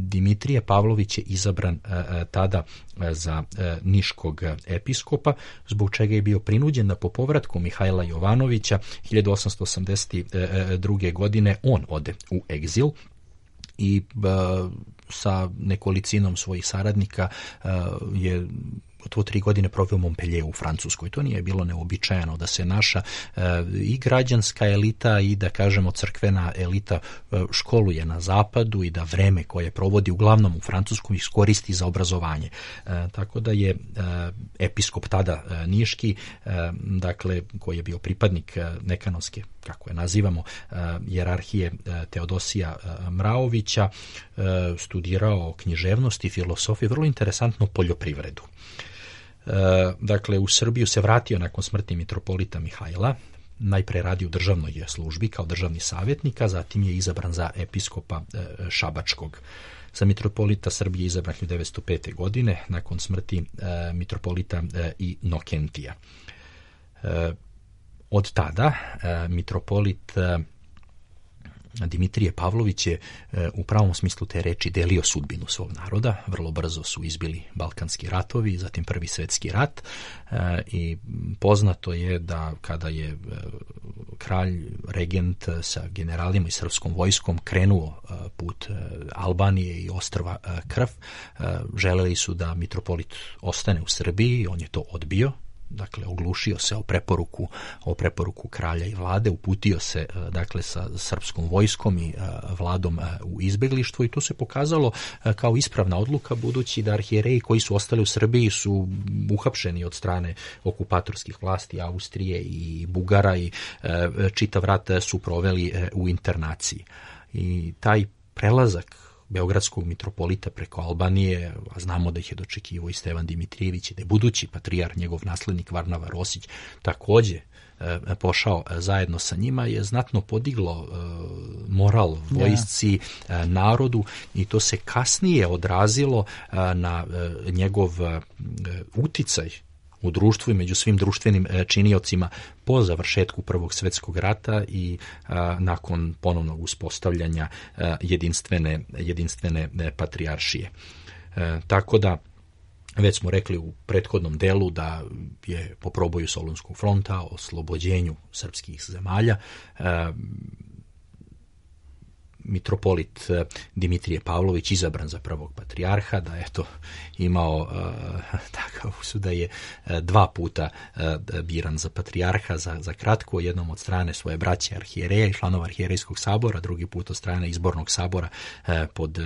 Dimitrije Pavlović je izabran uh, tada uh, za uh, niškog episkopa, zbog čega je bio prinuđen da po povratku Mihajla Jovanovića hiljadu osamsto osamdeset druge. godine on ode u egzil i uh, sa nekolicinom svojih saradnika uh, je gotovo tri godine proveo u Montpellieru u Francuskoj. To nije bilo neobičajeno da se naša e, i građanska elita i da kažemo crkvena elita e, školuje na zapadu i da vreme koje provodi uglavnom u Francuskom iskoristi za obrazovanje. E, tako da je e, episkop tada e, niški, e, dakle koji je bio pripadnik e, nekanovske, kako je nazivamo, e, jerarhije e, Teodosija e, Mraovića, e, studirao književnost i filosofiju, vrlo interesantno poljoprivredu. Dakle, u Srbiju se vratio nakon smrti mitropolita Mihajla, najpre radi u državnoj službi kao državni savjetnik, a zatim je izabran za episkopa Šabačkog. Za mitropolita Srbije izabran hiljadu devetsto pete. godine nakon smrti mitropolita Inokentija. Od tada mitropolit Dimitrije Pavlović je u pravom smislu te reči delio sudbinu svog naroda. Vrlo brzo su izbili Balkanski ratovi, zatim Prvi svjetski rat i poznato je da kada je kralj regent sa generalima i srpskom vojskom krenuo put Albanije i ostrva Krf, želeli su da mitropolit ostane u Srbiji, on je to odbio. Dakle, oglušio se o preporuku, o preporuku kralja i vlade, uputio se dakle sa srpskom vojskom i vladom u izbeglištvo i to se pokazalo kao ispravna odluka, budući da arhijereji koji su ostali u Srbiji su uhapšeni od strane okupatorskih vlasti Austrije i Bugara i čitav rat su proveli u internaciji. I taj prelazak beogradskog mitropolita preko Albanije, a znamo da ih je dočekivao i Stevan Dimitrijević i da je budući patrijar, njegov naslednik Varnava Rosić, takođe e, pošao zajedno sa njima, je znatno podiglo e, moral vojsci, e, narodu i to se kasnije odrazilo e, na e, njegov e, uticaj u društvu i među svim društvenim činiocima po završetku Prvog svjetskog rata i a, nakon ponovnog uspostavljanja a, jedinstvene, jedinstvene patrijaršije. E, tako da, već smo rekli u prethodnom delu da je po proboju Solunskog fronta, o oslobođenju srpskih zemalja, a, mitropolit Dimitrije Pavlović izabran za prvog patrijarha, da je to imao uh, takav usud da je uh, dva puta uh, biran za patrijarha za, za kratko, jednom od strane svoje braće arhijereja i članova arhijerejskog sabora, drugi put od strane izbornog sabora uh, pod uh,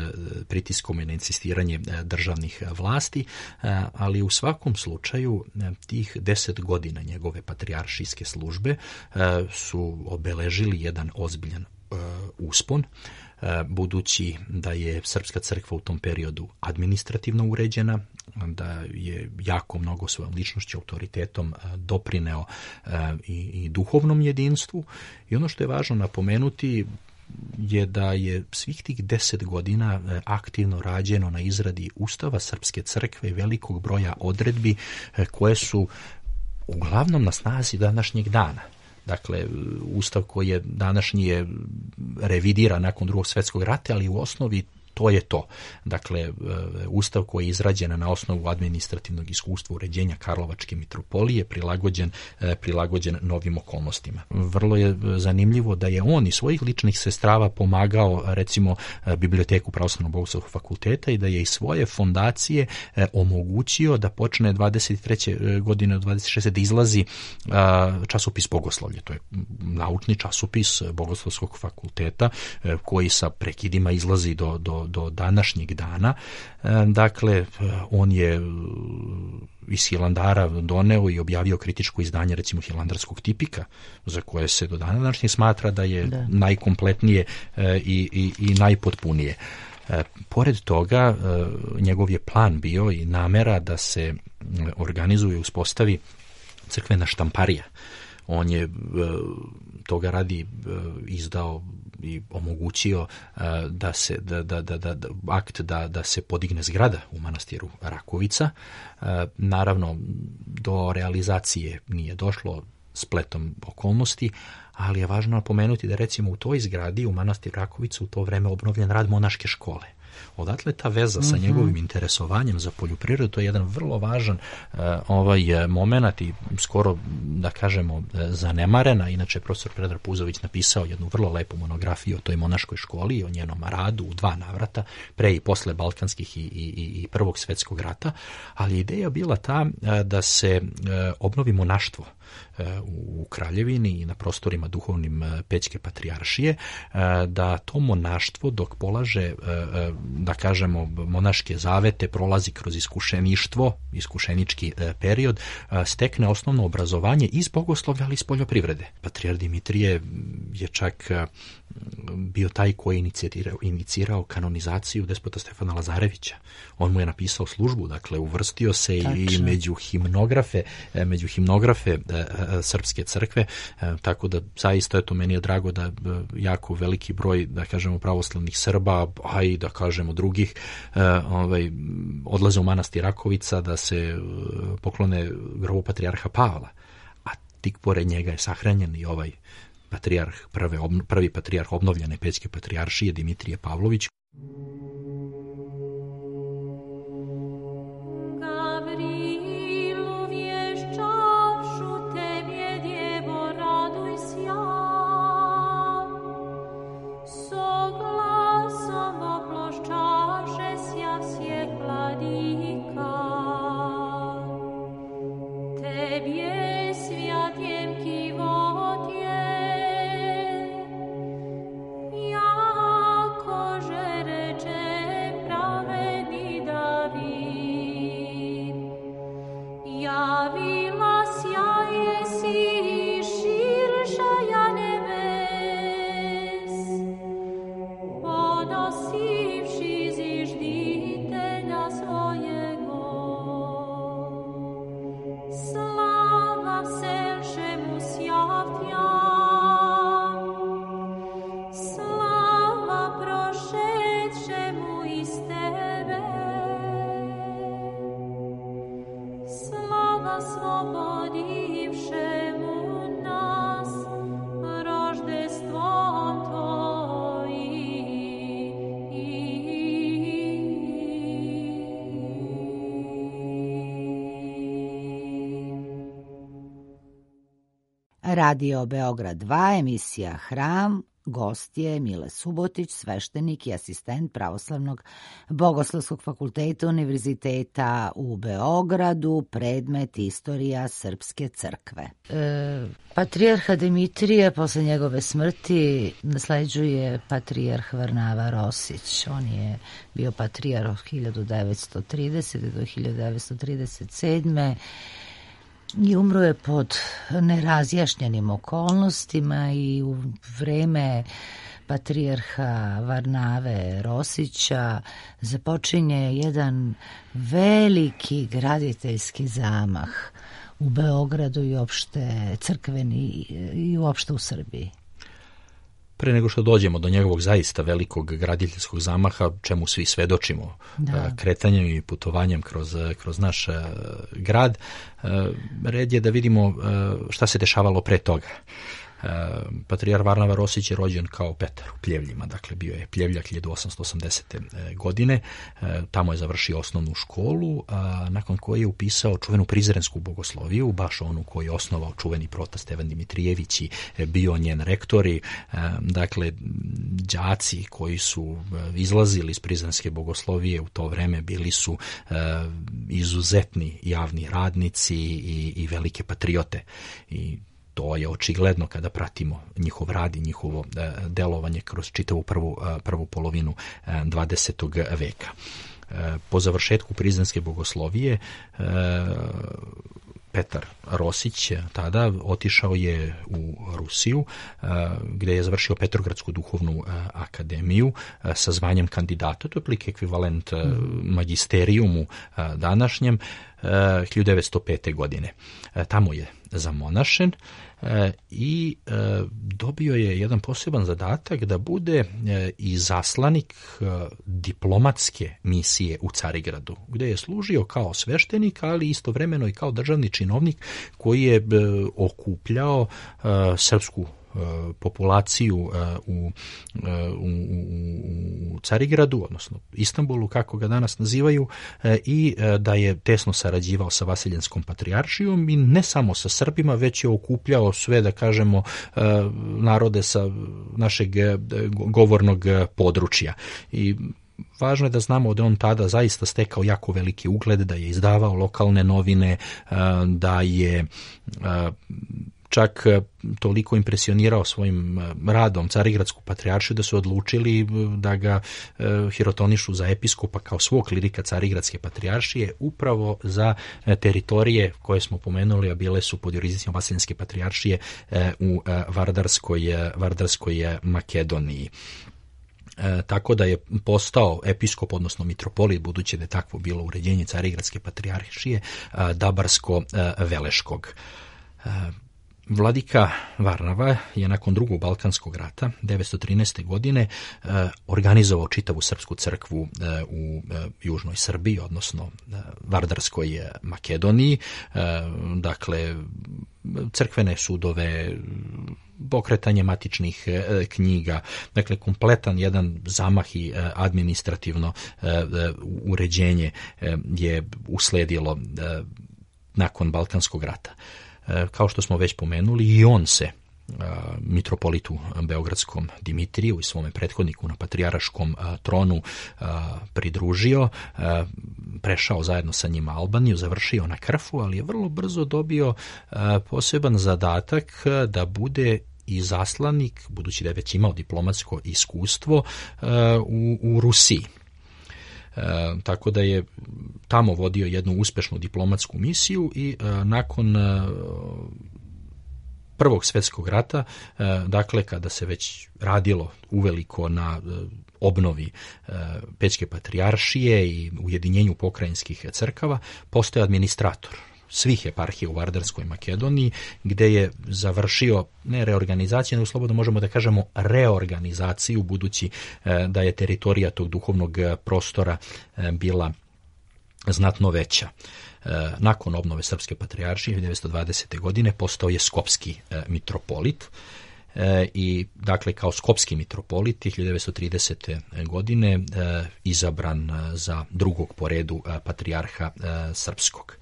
pritiskom i na insistiranje uh, državnih vlasti, uh, ali u svakom slučaju uh, tih deset godina njegove patrijaršijske službe uh, su obeležili jedan ozbiljan uspon, budući da je srpska crkva u tom periodu administrativno uređena, da je jako mnogo svojom ličnošću, autoritetom doprineo i, i duhovnom jedinstvu. I ono što je važno napomenuti je da je svih tih deset godina aktivno rađeno na izradi Ustava Srpske crkve i velikog broja odredbi koje su uglavnom na snazi današnjeg dana. Dakle, ustav koji je današnji revidira nakon Drugog svjetskog rata, ali u osnovi to je to. Dakle, ustav koji je izrađen na osnovu administrativnog iskustva uređenja Karlovačke mitropolije, prilagođen, prilagođen novim okolnostima. Vrlo je zanimljivo da je on iz svojih ličnih sestrava pomagao, recimo, Biblioteku Pravoslavnog bogoslovskog fakulteta i da je iz svoje fondacije omogućio da počne dvadeset treće godine od dvadeset šeste da izlazi časopis Bogoslovlje. To je naučni časopis Bogoslovskog fakulteta koji sa prekidima izlazi do, do do današnjeg dana. Dakle, on je iz Hilandara doneo i objavio kritičko izdanje, recimo, Hilandarskog tipika, za koje se do dana današnjeg smatra da je da. najkompletnije i, i, i najpotpunije. Pored toga, njegov je plan bio i namera da se organizuje i uspostavi crkvena štamparija. On je toga radi izdao i omogućio da se da, da, da, da, akt da, da se podigne zgrada u manastiru Rakovica. Naravno, do realizacije nije došlo spletom okolnosti, ali je važno napomenuti da recimo u toj zgradi u manastiru Rakovica u to vreme obnovljen rad monaške škole. Odatle ta veza sa njegovim interesovanjem za poljoprivredu, to je jedan vrlo važan uh, ovaj moment i skoro, da kažemo, zanemarena. Inače, profesor Predrag Puzović napisao jednu vrlo lepu monografiju o toj monaškoj školi i o njenom radu u dva navrata, pre i posle Balkanskih i, i, i Prvog svjetskog rata, ali ideja bila ta uh, da se uh, obnovi monaštvo u Kraljevini i na prostorima duhovnim Pećke patrijaršije, da to monaštvo dok polaže, da kažemo, monaške zavete, prolazi kroz iskušeništvo, iskušenički period, stekne osnovno obrazovanje iz bogoslovlja, ali iz poljoprivrede. Patrijar Dimitrije je čak bio taj koji je inicirao, inicirao kanonizaciju despota Stefana Lazarevića. On mu je napisao službu, dakle uvrstio se Tačno. i među himnografe, među himnografe srpske crkve, tako da zaista eto meni je drago da jako veliki broj, da kažemo, pravoslavnih Srba, a i da kažemo drugih, ovaj, odlaze u manastir Rakovica da se poklone grobu patrijarha Pavla, a tik pored njega je sahranjen i ovaj patrijarh, prve, prvi patrijarh obnovljene Pećke patrijaršije Dimitrije Pavlović. Radio Beograd dva, emisija Hram, gost je Mile Subotić, sveštenik i asistent Pravoslavnog bogoslovskog fakulteta Univerziteta u Beogradu, predmet Istorija Srpske crkve. E, patrijarha Dimitrije posle njegove smrti nasleđuje patrijarh Varnava Rosić. On je bio patrijarh od hiljadu devetsto tridesete do hiljadu devetsto trideset sedme i umro je pod nerazjašnjenim okolnostima i u vreme patrijarha Varnave Rosića započinje jedan veliki graditeljski zamah u Beogradu i uopšte crkveni i uopšte u Srbiji. Pre nego što dođemo do njegovog zaista velikog graditeljskog zamaha, čemu svi svedočimo, da. kretanjem i putovanjem kroz, kroz naš grad, red je da vidimo šta se dešavalo pre toga. Patrijar Varnava Rosić je rođen kao Petar u Pljevljima, dakle bio je Pljevljak hiljadu osamsto osamdesete godine, tamo je završio osnovnu školu, a nakon koje je upisao čuvenu prizrensku bogosloviju, baš onu koju je osnovao čuveni prota Stevan Dimitrijević i bio njen rektori, dakle đaci koji su izlazili iz prizrenske bogoslovije u to vreme bili su izuzetni javni radnici i, i velike patriote i to je očigledno kada pratimo njihov rad i njihovo e, delovanje kroz čitavu prvu, e, prvu polovinu e, dvadesetog veka. E, po završetku prizrenske bogoslovije e, Petar Rosić tada otišao je u Rusiju, gdje je završio Petrogradsku duhovnu akademiju sa zvanjem kandidata, to je otprilike ekvivalent magisterijumu današnjem, hiljadu devetsto pete. godine. Tamo je zamonašen i dobio je jedan poseban zadatak da bude i zaslanik diplomatske misije u Carigradu, gdje je služio kao sveštenik, ali istovremeno i kao državni činovnik koji je okupljao srpsku populaciju u, u, u Carigradu, odnosno Istanbulu, kako ga danas nazivaju, i da je tesno sarađivao sa Vasiljenskom patrijaršijom i ne samo sa Srbima, već je okupljao sve, da kažemo, narode sa našeg govornog područja. I važno je da znamo da on tada zaista stekao jako veliki ugled, da je izdavao lokalne novine, da je čak toliko impresionirao svojim radom Carigradsku patrijaršiju da su odlučili da ga hirotonišu za episkopa kao svog klirika Carigradske patrijaršije upravo za teritorije koje smo pomenuli, a bile su pod jurisdikcijom Vasiljenske patrijaršije u Vardarskoj, Vardarskoj Makedoniji. E, tako da je postao episkop, odnosno mitropolit, budući da je takvo bilo uređenje Carigradske patrijaršije, Dabarsko-Veleškog. E, Vladika Varnava je nakon drugog Balkanskog rata devetsto trinaeste. godine e, organizovao čitavu srpsku crkvu e, u e, južnoj Srbiji, odnosno e, Vardarskoj Makedoniji. E, dakle, crkvene sudove, pokretanje matičnih e, knjiga, dakle kompletan jedan zamah i e, administrativno e, e, uređenje e, je usledilo e, nakon Balkanskog rata. E, kao što smo već pomenuli, i on se e, mitropolitu beogradskom Dimitriju i svome prethodniku na patrijaraškom e, tronu e, pridružio, e, prešao zajedno sa njima Albaniju, završio na Krfu, ali je vrlo brzo dobio e, poseban zadatak da bude i zaslanik, budući da je već imao diplomatsko iskustvo, e, u, u Rusiji. E, tako da je tamo vodio jednu uspešnu diplomatsku misiju i e, nakon e, Prvog svjetskog rata, e, dakle kada se već radilo uveliko na e, obnovi e, Pećke patrijaršije i ujedinjenju pokrajinskih crkava, postoje administrator svih eparhija u Vardarskoj Makedoniji, gdje je završio ne reorganizaciju, nego slobodno možemo da kažemo reorganizaciju, budući e, da je teritorija tog duhovnog prostora e, bila znatno veća. E, nakon obnove Srpske patrijaršije hiljadu devetsto dvadesete. godine postao je skopski e, mitropolit. E, i dakle kao skopski mitropolit hiljadu devetsto tridesete. godine e, izabran za drugog po redu e, patrijarha e, srpskog.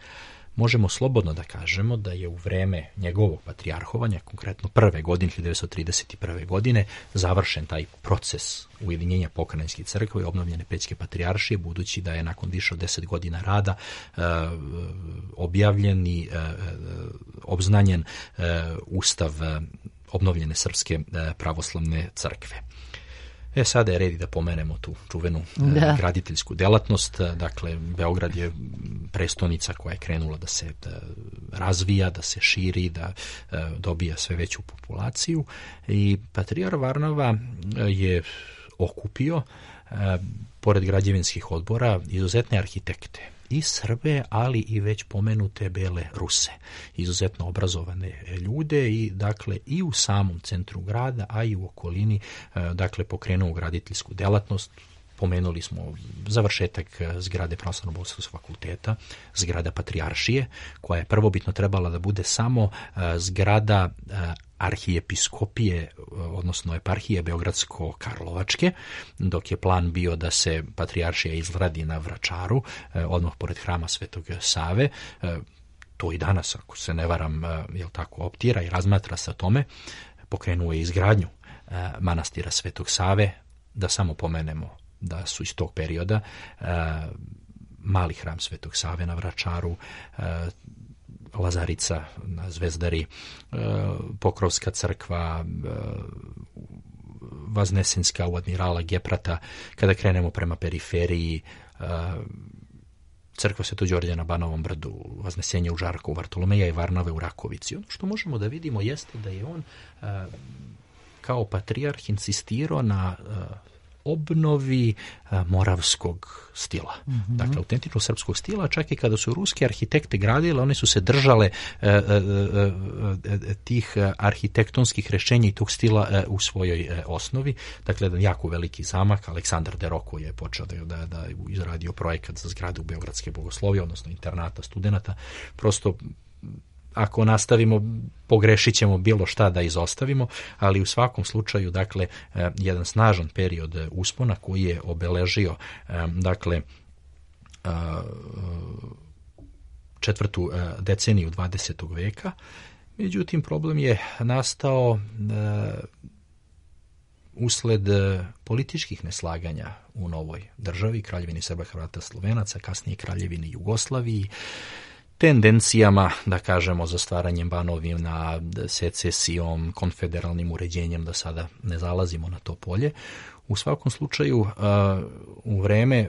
Možemo slobodno da kažemo da je u vreme njegovog patrijarhovanja, konkretno prve godine, hiljadu devetsto trideset prve. godine, završen taj proces ujedinjenja pokrajinskih crkva i obnovljene Pećke patrijaršije, budući da je nakon više od deset godina rada e, objavljen i e, obznanjen e, ustav e, obnovljene Srpske e, pravoslavne crkve. E, sada je red da pomenemo tu čuvenu da. graditeljsku delatnost. Dakle, Beograd je prestonica koja je krenula da se da razvija, da se širi, da dobija sve veću populaciju. I patrijar Varnava je okupio, pored građevinskih odbora, izuzetne arhitekte i Srbe, ali i već pomenute bele Ruse, izuzetno obrazovane ljude i dakle i u samom centru grada, a i u okolini, dakle pokrenuo graditeljsku delatnost. Pomenuli smo završetak zgrade Pravoslavno-bogoslovskog fakulteta, zgrada patrijaršije, koja je prvobitno trebala da bude samo zgrada arhijepiskopije, odnosno eparhije Beogradsko-Karlovačke, dok je plan bio da se patrijaršija izgradi na Vračaru, odmah pored hrama Svetog Save. To i danas, ako se ne varam, jel tako, optira i razmatra se o tome. Pokrenuo je izgradnju manastira Svetog Save, da samo pomenemo da su iz tog perioda mali hram Svetog Save na Vračaru, Lazarica na Zvezdari, Pokrovska crkva, Vaznesenska u Admirala Geprata. Kada krenemo prema periferiji, crkva Svetog Đorđa na Banovom brdu, Vaznesenje u Žarkovu, Vartolomeja i Varnave u Rakovici. Ono što možemo da vidimo jeste da je on a, kao patrijarh insistirao na a, obnovi a, moravskog stila. Mm-hmm. Dakle, autentičnog srpskog stila, čak i kada su ruski arhitekte gradile, one su se držale a, a, a, a, tih arhitektonskih rešenja i tog stila a, u svojoj a, osnovi. Dakle, jedan jako veliki zamak, Aleksandar Deroko je počeo da, da, da izradio projekat za zgradu Beogradske bogoslovije, odnosno internata studenata. Prosto, ako nastavimo, pogrešit ćemo bilo šta da izostavimo, ali u svakom slučaju, dakle, jedan snažan period uspona koji je obeležio, dakle, četvrtu deceniju dvadesetog veka. Međutim, problem je nastao usled političkih neslaganja u novoj državi, Kraljevini Srba, Hrvata, Slovenaca, kasnije Kraljevini Jugoslaviji, tendencijama, da kažemo, za stvaranjem banovina, secesijom, konfederalnim uređenjem, da sada ne zalazimo na to polje. U svakom slučaju, u vreme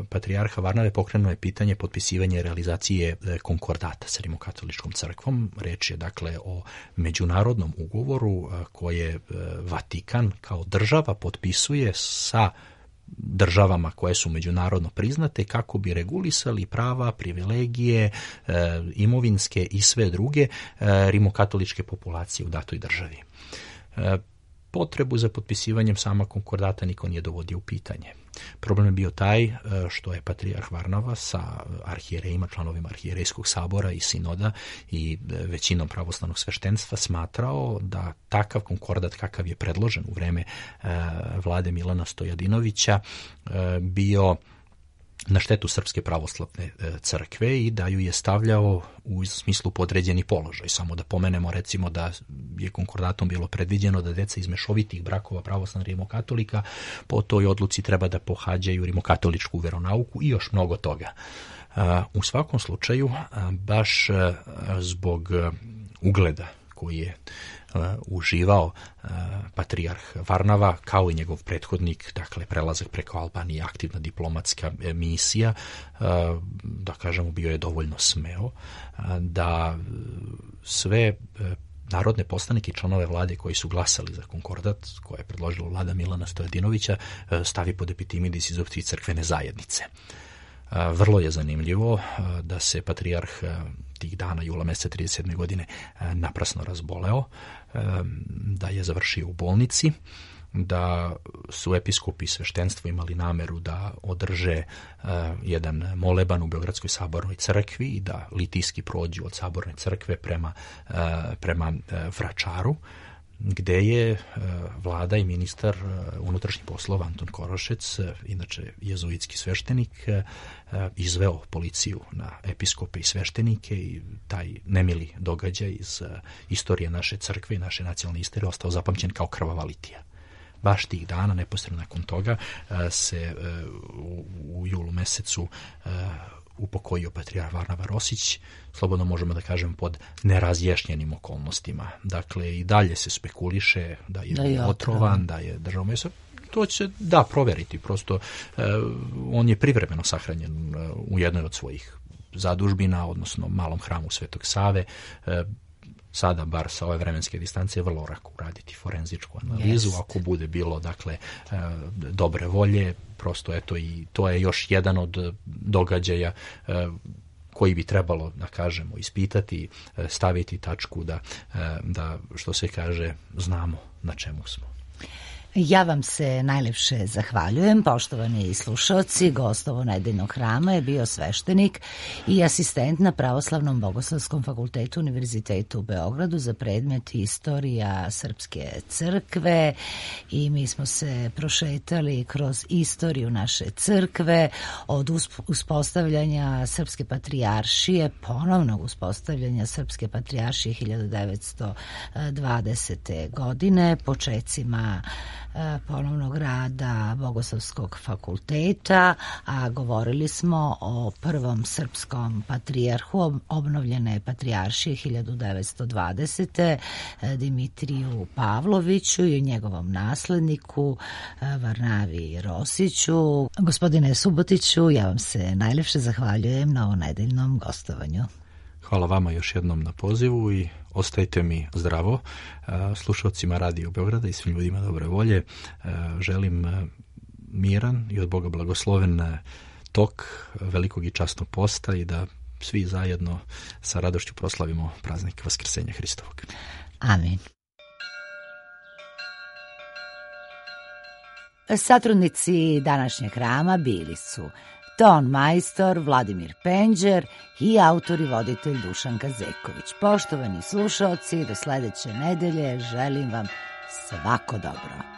patrijarha Varnave pokrenuo je pitanje potpisivanja i realizacije konkordata sa Rimokatoličkom crkvom. Reč je, dakle, o međunarodnom ugovoru koje Vatikan kao država potpisuje sa državama koje su međunarodno priznate kako bi regulisali prava, privilegije, e, imovinske i sve druge e, rimokatoličke populacije u datoj državi. E, potrebu za potpisivanjem sama konkordata niko nije dovodio u pitanje. Problem je bio taj što je patrijarh Varnava sa arhijerejima, članovima arhijerejskog sabora i sinoda i većinom pravoslavnog sveštenstva smatrao da takav konkordat kakav je predložen u vreme vlade Milana Stojadinovića bio na štetu Srpske pravoslavne crkve i da ju je stavljao u smislu podređeni položaj. Samo da pomenemo, recimo, da je konkordatom bilo predviđeno da deca iz mešovitih brakova pravoslavnih rimokatolika po toj odluci treba da pohađaju rimokatoličku veronauku i još mnogo toga. U svakom slučaju, baš zbog ugleda koji je uživao patrijarh Varnava, kao i njegov prethodnik, dakle prelazak preko Albanije, aktivna diplomatska misija, da kažemo, bio je dovoljno smeo da sve narodne poslanike i članove vlade koji su glasali za konkordat, koje je predložila vlada Milana Stojadinovića, stavi pod epitimidis iz opcije crkvene zajednice. Vrlo je zanimljivo da se patrijarh tih dana, jula meseca trideset sedme godine, naprasno razboleo, da je završio u bolnici, da su episkopi i sveštenstvo imali nameru da održe jedan moleban u Beogradskoj sabornoj crkvi i da litijski prođu od saborne crkve prema, prema Vračaru, gde je vlada i ministar unutrašnjih poslova Anton Korošec, inače jezuitski sveštenik, izveo policiju na episkope i sveštenike i taj nemili događaj iz istorije naše crkve i naše nacionalne istorije ostao zapamćen kao krvava litija. Baš tih dana, neposredno nakon toga, se u, u julu mesecu upokojio patrijarh Varnava Rosić, slobodno možemo da kažem pod nerazjašnjenim okolnostima. Dakle, i dalje se spekuliše da je, da je otrovan, da je držao meso. To će da proveriti, prosto eh, on je privremeno sahranjen eh, u jednoj od svojih zadužbina, odnosno malom hramu Svetog Save. Eh, sada, bar sa ove vremenske distance, je vrlo lako uraditi forenzičku analizu, yes. Ako bude bilo, dakle, eh, dobre volje, prosto eto, i to je još jedan od događaja eh, koji bi trebalo, da kažemo, ispitati, staviti tačku da, da, što se kaže, znamo na čemu smo. Ja vam se najlepše zahvaljujem, poštovani slušaoci. Gost ovo nedeljnog hrama je bio sveštenik i asistent na Pravoslavnom bogoslovskom fakultetu Univerzitetu u Beogradu za predmet Istorija Srpske crkve i mi smo se prošetali kroz istoriju naše crkve od uspostavljanja Srpske patrijaršije, ponovnog uspostavljanja Srpske patrijaršije hiljadu devetsto dvadesete godine, počecima ponovnog rada Bogoslovskog fakulteta, a govorili smo o prvom srpskom patrijarhu obnovljene patrijaršije hiljadu devetsto dvadesete. Dimitriju Pavloviću i o njegovom nasledniku Varnavi Rosiću. Gospodine Subotiću, ja vam se najlepše zahvaljujem na ovonedeljnom gostovanju. Hvala vama još jednom na pozivu i ostajte mi zdravo. Slušalcima Radio Beograda i svim ljudima dobre volje želim miran i od Boga blagosloven tok velikog i časnog posta i da svi zajedno sa radošću proslavimo praznik Vaskrsenja Hristovog. Amin. Satrudnici današnjeg hrama bili su ton majstor Vladimir Penđer i autor i voditelj Dušan Kazeković. Poštovani slušaoci, do sledeće nedelje želim vam svako dobro.